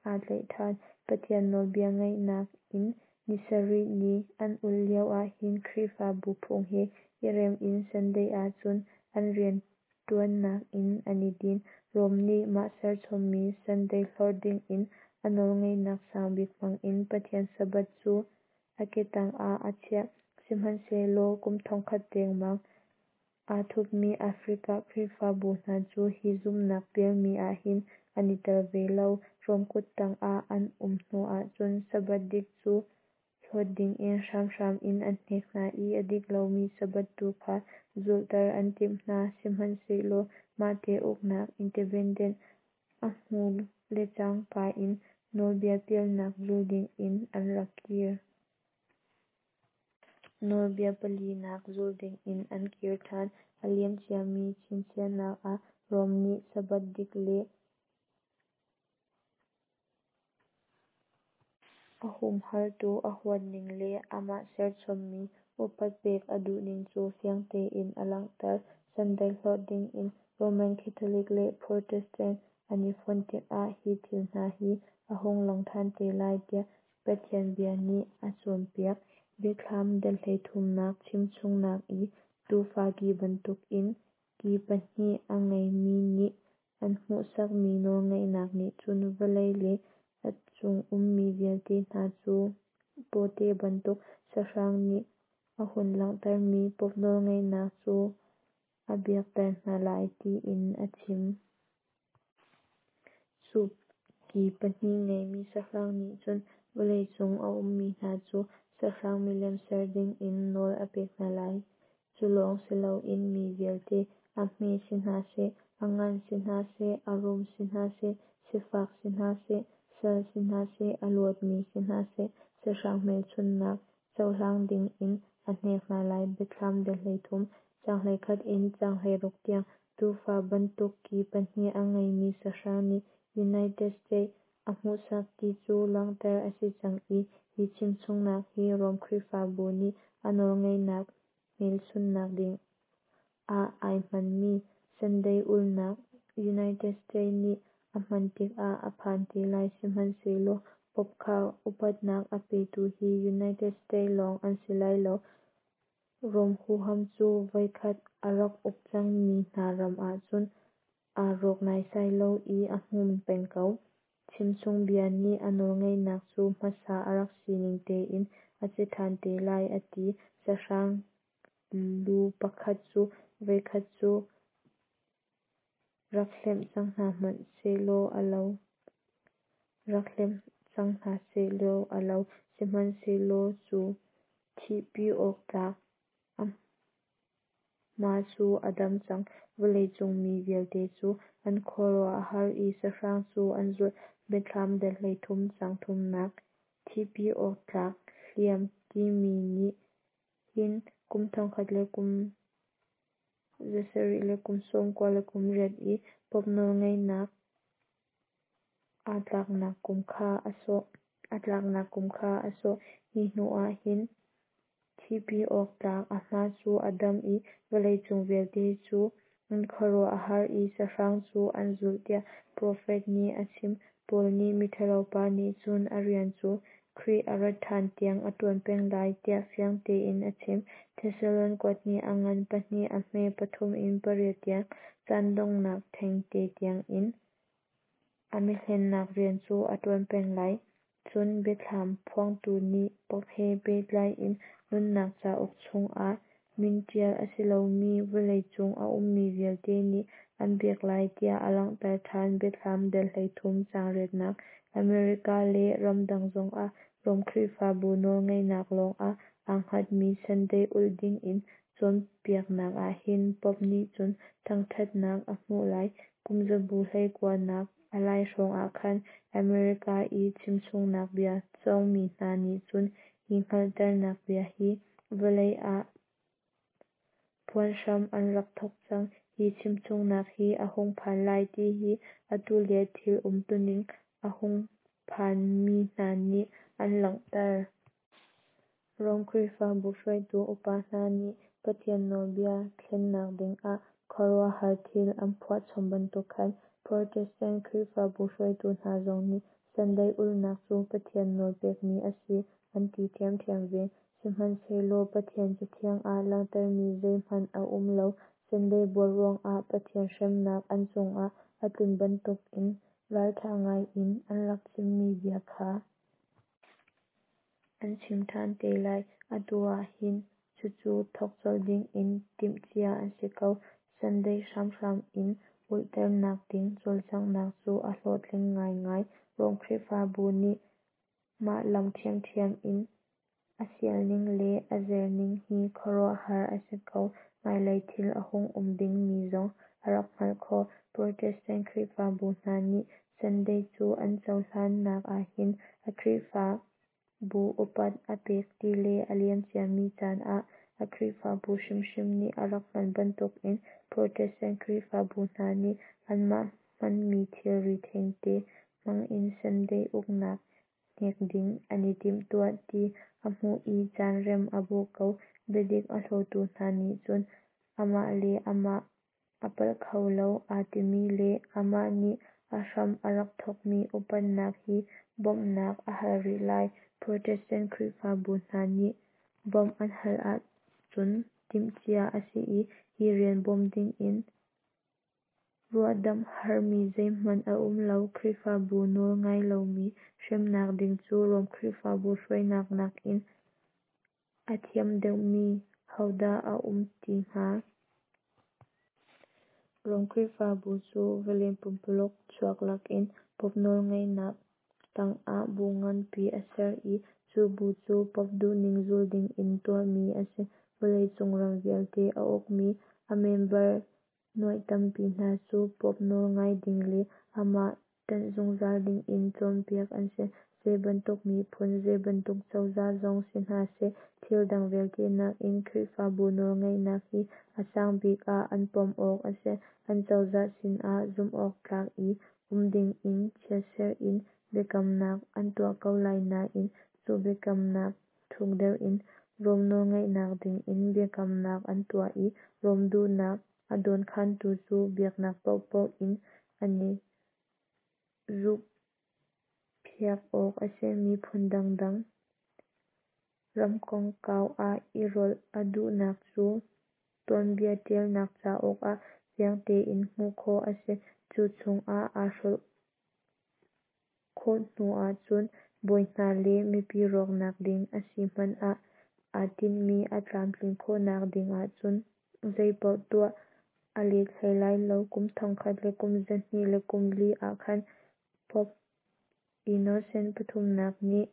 aa tlaih ṭhan. Pathian nawlbia ngaihnak in ni sarih ni an ulh lio ahhin Khrihfabu phung he i rem in Sunday ahcun an rianṭuannak in an i din. Rom nih mah serchommi Sunday hlorh dingin a nawlngeihnak sangbik hmangin Pathian Sabbath cu a ketang ah a chiah. Sihmanhsehlaw kum 1000 dengmang aa thupmi Africa Khrihfabu hna cu hi zumhnak pialmi ahhin an i tel ve lo. Rom kuttang ah an um hnuah cun Sabbath dik cu hlawt dingin hramhram in an hnek hna i a dik lomi Sabbath tu kha zulhter an timh hna. Sihmanhsehlaw mahte uknak independent a hmuh lecangka in nawlbia pialnak zul dingin an rak kir. Nawlbia palinak zul dingin an kir ṭhan. A liam ciami chinchiahnak ah Rom nih Sabbath dik le a humhaltu a huatning le amah serchommi upat pek a duhning cu fiang tein a langhter. Sunday hlorh dingin Roman Catholic le Protestant an i fonh tikah hi thil hna hi a hung lang ṭhan te lai tiah Pathian bia nih a cawnpiak. Biathlam dal 33nak chimchungnak i tuufa ki bantukin ki pahnih a ngeimi nih an hmuhsakmi nawlngeihnak nih cun vawlei le a chung ummi vialte hna cu pawte bantuk sahrang nih a hun langhtermi Pope nawlngeihnak cu a biakter hna lai tiin a chim. Cu ki pahnih ngeimi sahrang nih cun vawlei cung a ummi hna cu sahrang milem ser dingin nawl a pek hna lai. Cu lawng si loin mi vialte, a hme si hna seh, a ngan si hna seh, a rum si hna seh, sifak si hna seh, sal si hna seh, a luatmi si hna seh, sahrang hmelchunhnak cohlang dingin a hnek hna lai. Biathlam dal 33, caang 11 in caang 16 tiang. Tuufa bantuk ki pahnih a ngeimi sahrang nih United States a hmuhsak ti cu langhter a si cang i hi chimchungnak hi Rom Khrihfabu nih a nawlngeihnak hmelchunhnak ding ah ai hmanmi Sunday ulhnak United States nih a hman tikah a phan te lai. Sihmanhsehlaw Pope kha upatnak a petu hi United States lawng an si lai lo. Rom huham cu voikhat a rak uk cangmi hna ram ahcun aa rawk naisai lo i a hmun peng ko. Chimchungbia nih a nawlngeihnak cu hmasa a rak sining tein a si ṭhan te lai a ti. Sahrang lu pakhat cu voikhat cu rak hlemh cang hna hmanh sehlaw a lo. Rak hlem cang hna sehlaw a lo. Sihmanhsehlaw cu thihpi awk tlak a hma cu a dam cang. Vawleicung mi vialte cu an khuaruah a har i sahrang cu an zulh. Biathlam dal 33 caang thumnak. Thihpi awk tlak hliam timi nih hin kum thongkhat le kum zasarih le kum sawmkua le kum riat i Pope nawlngeihnak aa tlaknak kum kha a sawh. A tlaknak kum kha a sawh. Hi hnu ah hin thihpi awk tlak a hma cu a dam i vawleicung vialte cu an khuaruah a har i sahrang cu an zulh tiah profet nih a chim. Paul nih miṭhalopa nih cun a rian cu Khrih a rat ṭhan tiang a ṭuan peng lai tiah fiang tein a chim. Thesalon kuathnih a ngan pahnih a hme pathum in pariat tiang. Caan donghnak thengte tiangin a mihlennak rian cu a ṭuan peng lai. Cun Biathlam phuangtu nih Pope he pehtlai in nunnak cauk chungah min ṭial a si lomi vawleicung a ummi vialte nih an biak lai tiah a langhter ṭhan Biathlam dal 13 caang riatnak. America le ramdang zongah Rom Khrihfabu nawlngeihnak lawngah aa hngatmi Sunday ulh dingin cawnpiaknak ahhin Pope nih cun thangṭhatnak a hmuh lai. Kumzabu 19 nak a lai hrawng ahkhan America i chimchungnak bia cawngmi hna nih cun hi hngalhternak bia hi vawlei ah phuan hram an rak thawk cang. Hi chimchungnak hi a hung phan lai ti hi atu lio thil umtuning a hung phanmi hna nih an langhter. Rom Khrihfabu hruaitu upa hna nih Pathian nawlbia thlennak dingah khuaruahhar thil an phuahchom bantuk khan Protestant Khrihfabu hruaitu hna zong nih Sunday ulhnak cu Pathian nawl pekmi a si an ti ṭhiamṭhiam ve. Sihmanhsehlaw Pathian Cathiang ah langhtermi zeihmanh a um lo. Sunday buar ruangah Pathian hremnak an cungah a tlun bantukin ralṭha ngaiin an rak chimmi bia kha an chim ṭhan te lai. Atu ahhin cucu thawk colh dingin timhcia an si ko. Sunday hramhram in ulhternak ding cawlcanghnak cu a hlawhtling ngaingai. Rom Khrihfabu nih mah lam ṭhiamṭhiam in a sialning le a zerning hi khuaruahhar a si ko. Hmailei thil a hung um dingmi zong a rak hngalh khawh. Protestant Khrihfabu hna nih Sunday cu an cohlannak ahhin a Khrihfabu upat a pek ti le a liamciami caan ah a Khrihfabu hrimhrim nih a rak hman bantukin Protestant Khrihfabu hna nih anmah hmanmi thilri thengte hmangin Sunday uknak hnek ding an i timhtuah ti a hmuh i caan rem a bawh ko. Biadik a hlawtu hna nih cun amah le amah a palh kho lo aa timi le amah nih a hram a rak thawkmi upatnak hi bawmhnak a hal rih lai. Protestant Khrihfabu hna nih bawmh an hal ahcun timhcia a si i hi rian bawm dingin ruahdamh harmi zeihmanh a um lo. Khrihfabu nawl ngai lomi hremnak ding cu Rom Khrihfabu hruainak nakin a thiam deuhmi hodah a um ti hnga? Rom Khrihfabu cu vawlei pumpuluk chuak lakin Pope nawlngeihnak tangah bu nganpi a ser i cu bu cu Pope duhning zul dingin tuahmi a si. Vawleicung ram vialte a ukmi a member nuaih tampi hna cu Pope nawl ngai ding le amah ṭanh zungzal dingin cawnpiak an si. Zeibantuk miphun, zeibantuk cozah zong si hna seh, thil dang vialte nakin Khrihfabu nawlngeihnak hi a sang bik ah an pom awk a si. An cozah sinah zumhawktlak i um dingin chiatserh in biakamnak an tuah ko lai nain cu biakamnak thuk deuh in Rom nawlngaihnak dingin biakamnak an tuah i Rom duhnak a dawnkhantu cu biaknak paohpaoh in an i zuhphiak awk a si. Miphun dangdang ramkongkau ah i rawlh a duhnak cu tuanbia ṭialnak cauk ah fiang tein hmuh khawh a si. Cu chungah aa hrolh khawh hnu ahcun bawi hna le mipi rawknak ding a si hmanh ah aa tinhmi a tlamtlin khawhnak ding ahcun zeipaoh tuah a let hlei lai lo. Kum 1224 ahkhan Pope Innocent pathumnak nih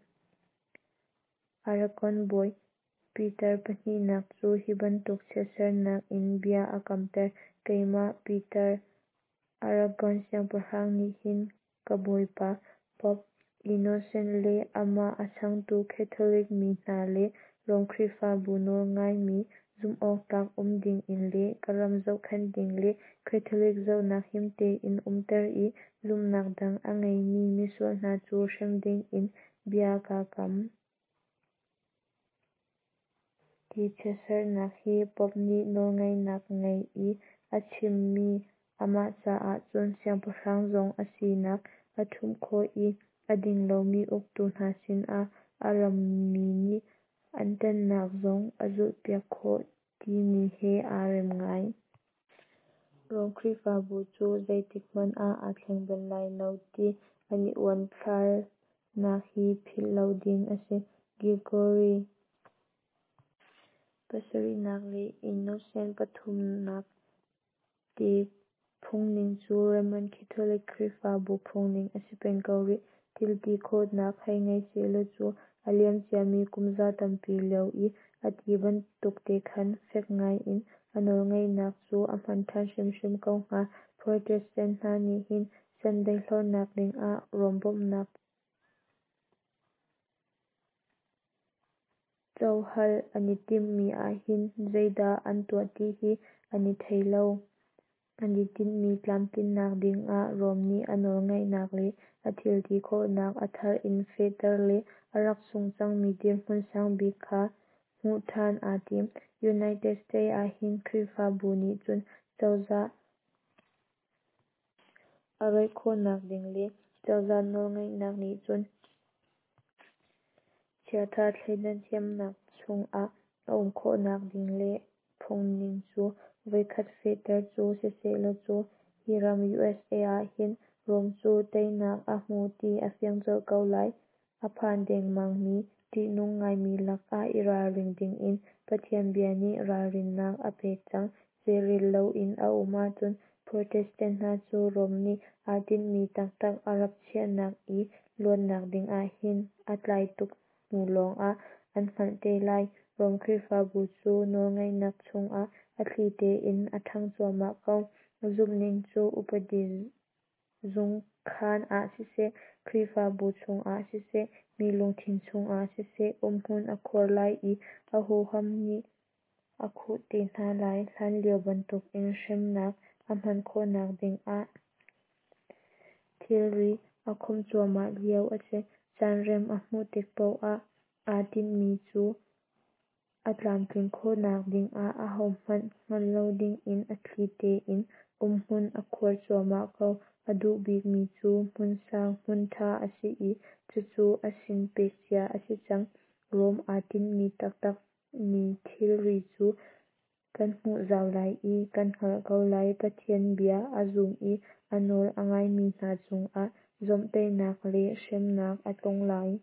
Aragon bawi Peter pahnihnak cu hi bantuk chiatsernak in bia a kamter: Keimah Peter, Aragon siangpahrang nih hin ka bawipa Pope Innocent le amah a changtu Catholic mi hna le Rom Khrihfabu nawlngaimi zumhawktlak um dingin le ka ram zohkhenh ding le Catholic zohnak him tein umter i zumhnak dang a ngeimi misual hna cu hrem dingin bia kaa kam. Hi chiatsernak hi Pope nih nawlngeihnak ngei i a chimmi, amah caah cun siangpahrang zong a sinak a ṭhumh khawh i a ding lomi uktu hna sinah a rammi nih an ṭanhnak zong a zulhpiak khawh timi he aa rem ngai. Rom Khrihfabu cu zeitik hmanh ah aa thleng bal lai lo ti an i uanthlarnak hi philh lo ding a si. Gregory. Pasarihnak le Innocent pathumnak te phungning cu Roman Catholic Khrihfabu phungning a si peng ko rih. Thil ti khawhnak hei ngei sehlaw cu a liamciami kumza tampi lio i a ti bantuk te khan fek ngai in a nawlngeihnak cu a hman ṭhan hrimhrim ko hnga. Protestant hna nih hin Sunday hlornak dingah Rome bawmhnak cohal an i timhmi ahhin zeidah an tuah ti hi an i thei lo. An i tinhmi tlamtlinnak dingah Rome nih a nawlngeihnak le a thilti khawhnak a thar in fehter le a rak sungh cangmi dirhmun sangbik kha hmuh ṭhan aa tim. United States ahhin Khrihfabu nih cun cozah a roih khawhnak ding le cozah nawlngeihnak nih cun chiatha thleidan thiamnak chungah a um khawhnak ding le phungning cu voikhat fehter cu sisehlaw cu hi ram USA ahhin Rome cu teinak a hmu ti a fiang colh ko lai. A phan dengmangmi ṭihnung ngaimi lakah i ralring dingin Pathian bia nih ralrinnak a pek cang. Zeirel loin a um ahcun Protestant hna cu Rome nih aa tinhmi taktak a rap chiahnak i luatnak dingah hin a tlai tuk hnu lawngah an hngalh te lai. Rome Khrihfabu cu nawlngeihnak chungah a thli tein a ṭhang cuahmah ko. Zumhning cu upadi zungkhan ah siseh, Khrihfabu chungah siseh, mi lungthin chungah siseh, umhmun a khuar lai i a huham nih a khuh te hna lai. Hlanlio bantukin hremnak a hman khawhnak dingah thilri a khawmh cuahmah lio a si. Caan rem a hmuh tik paoh ah aa tinhmi cu a tlamtlin khawhnak dingah ahohmanh hngalh lo dingin a thli tein umhmun a khuar cuahmah ko. A duh bikmi cu hmun sang hmun ṭha a si i cucu a sin pek cia a si cang. Rome aa tinhmi taktak mi thilri cu kan hmuh zau lai i kan hngalh ko lai. Pathian bia a zum i a nawl a ngaimi hna cungah zawmhtaihnak le hremnak a tlung lai.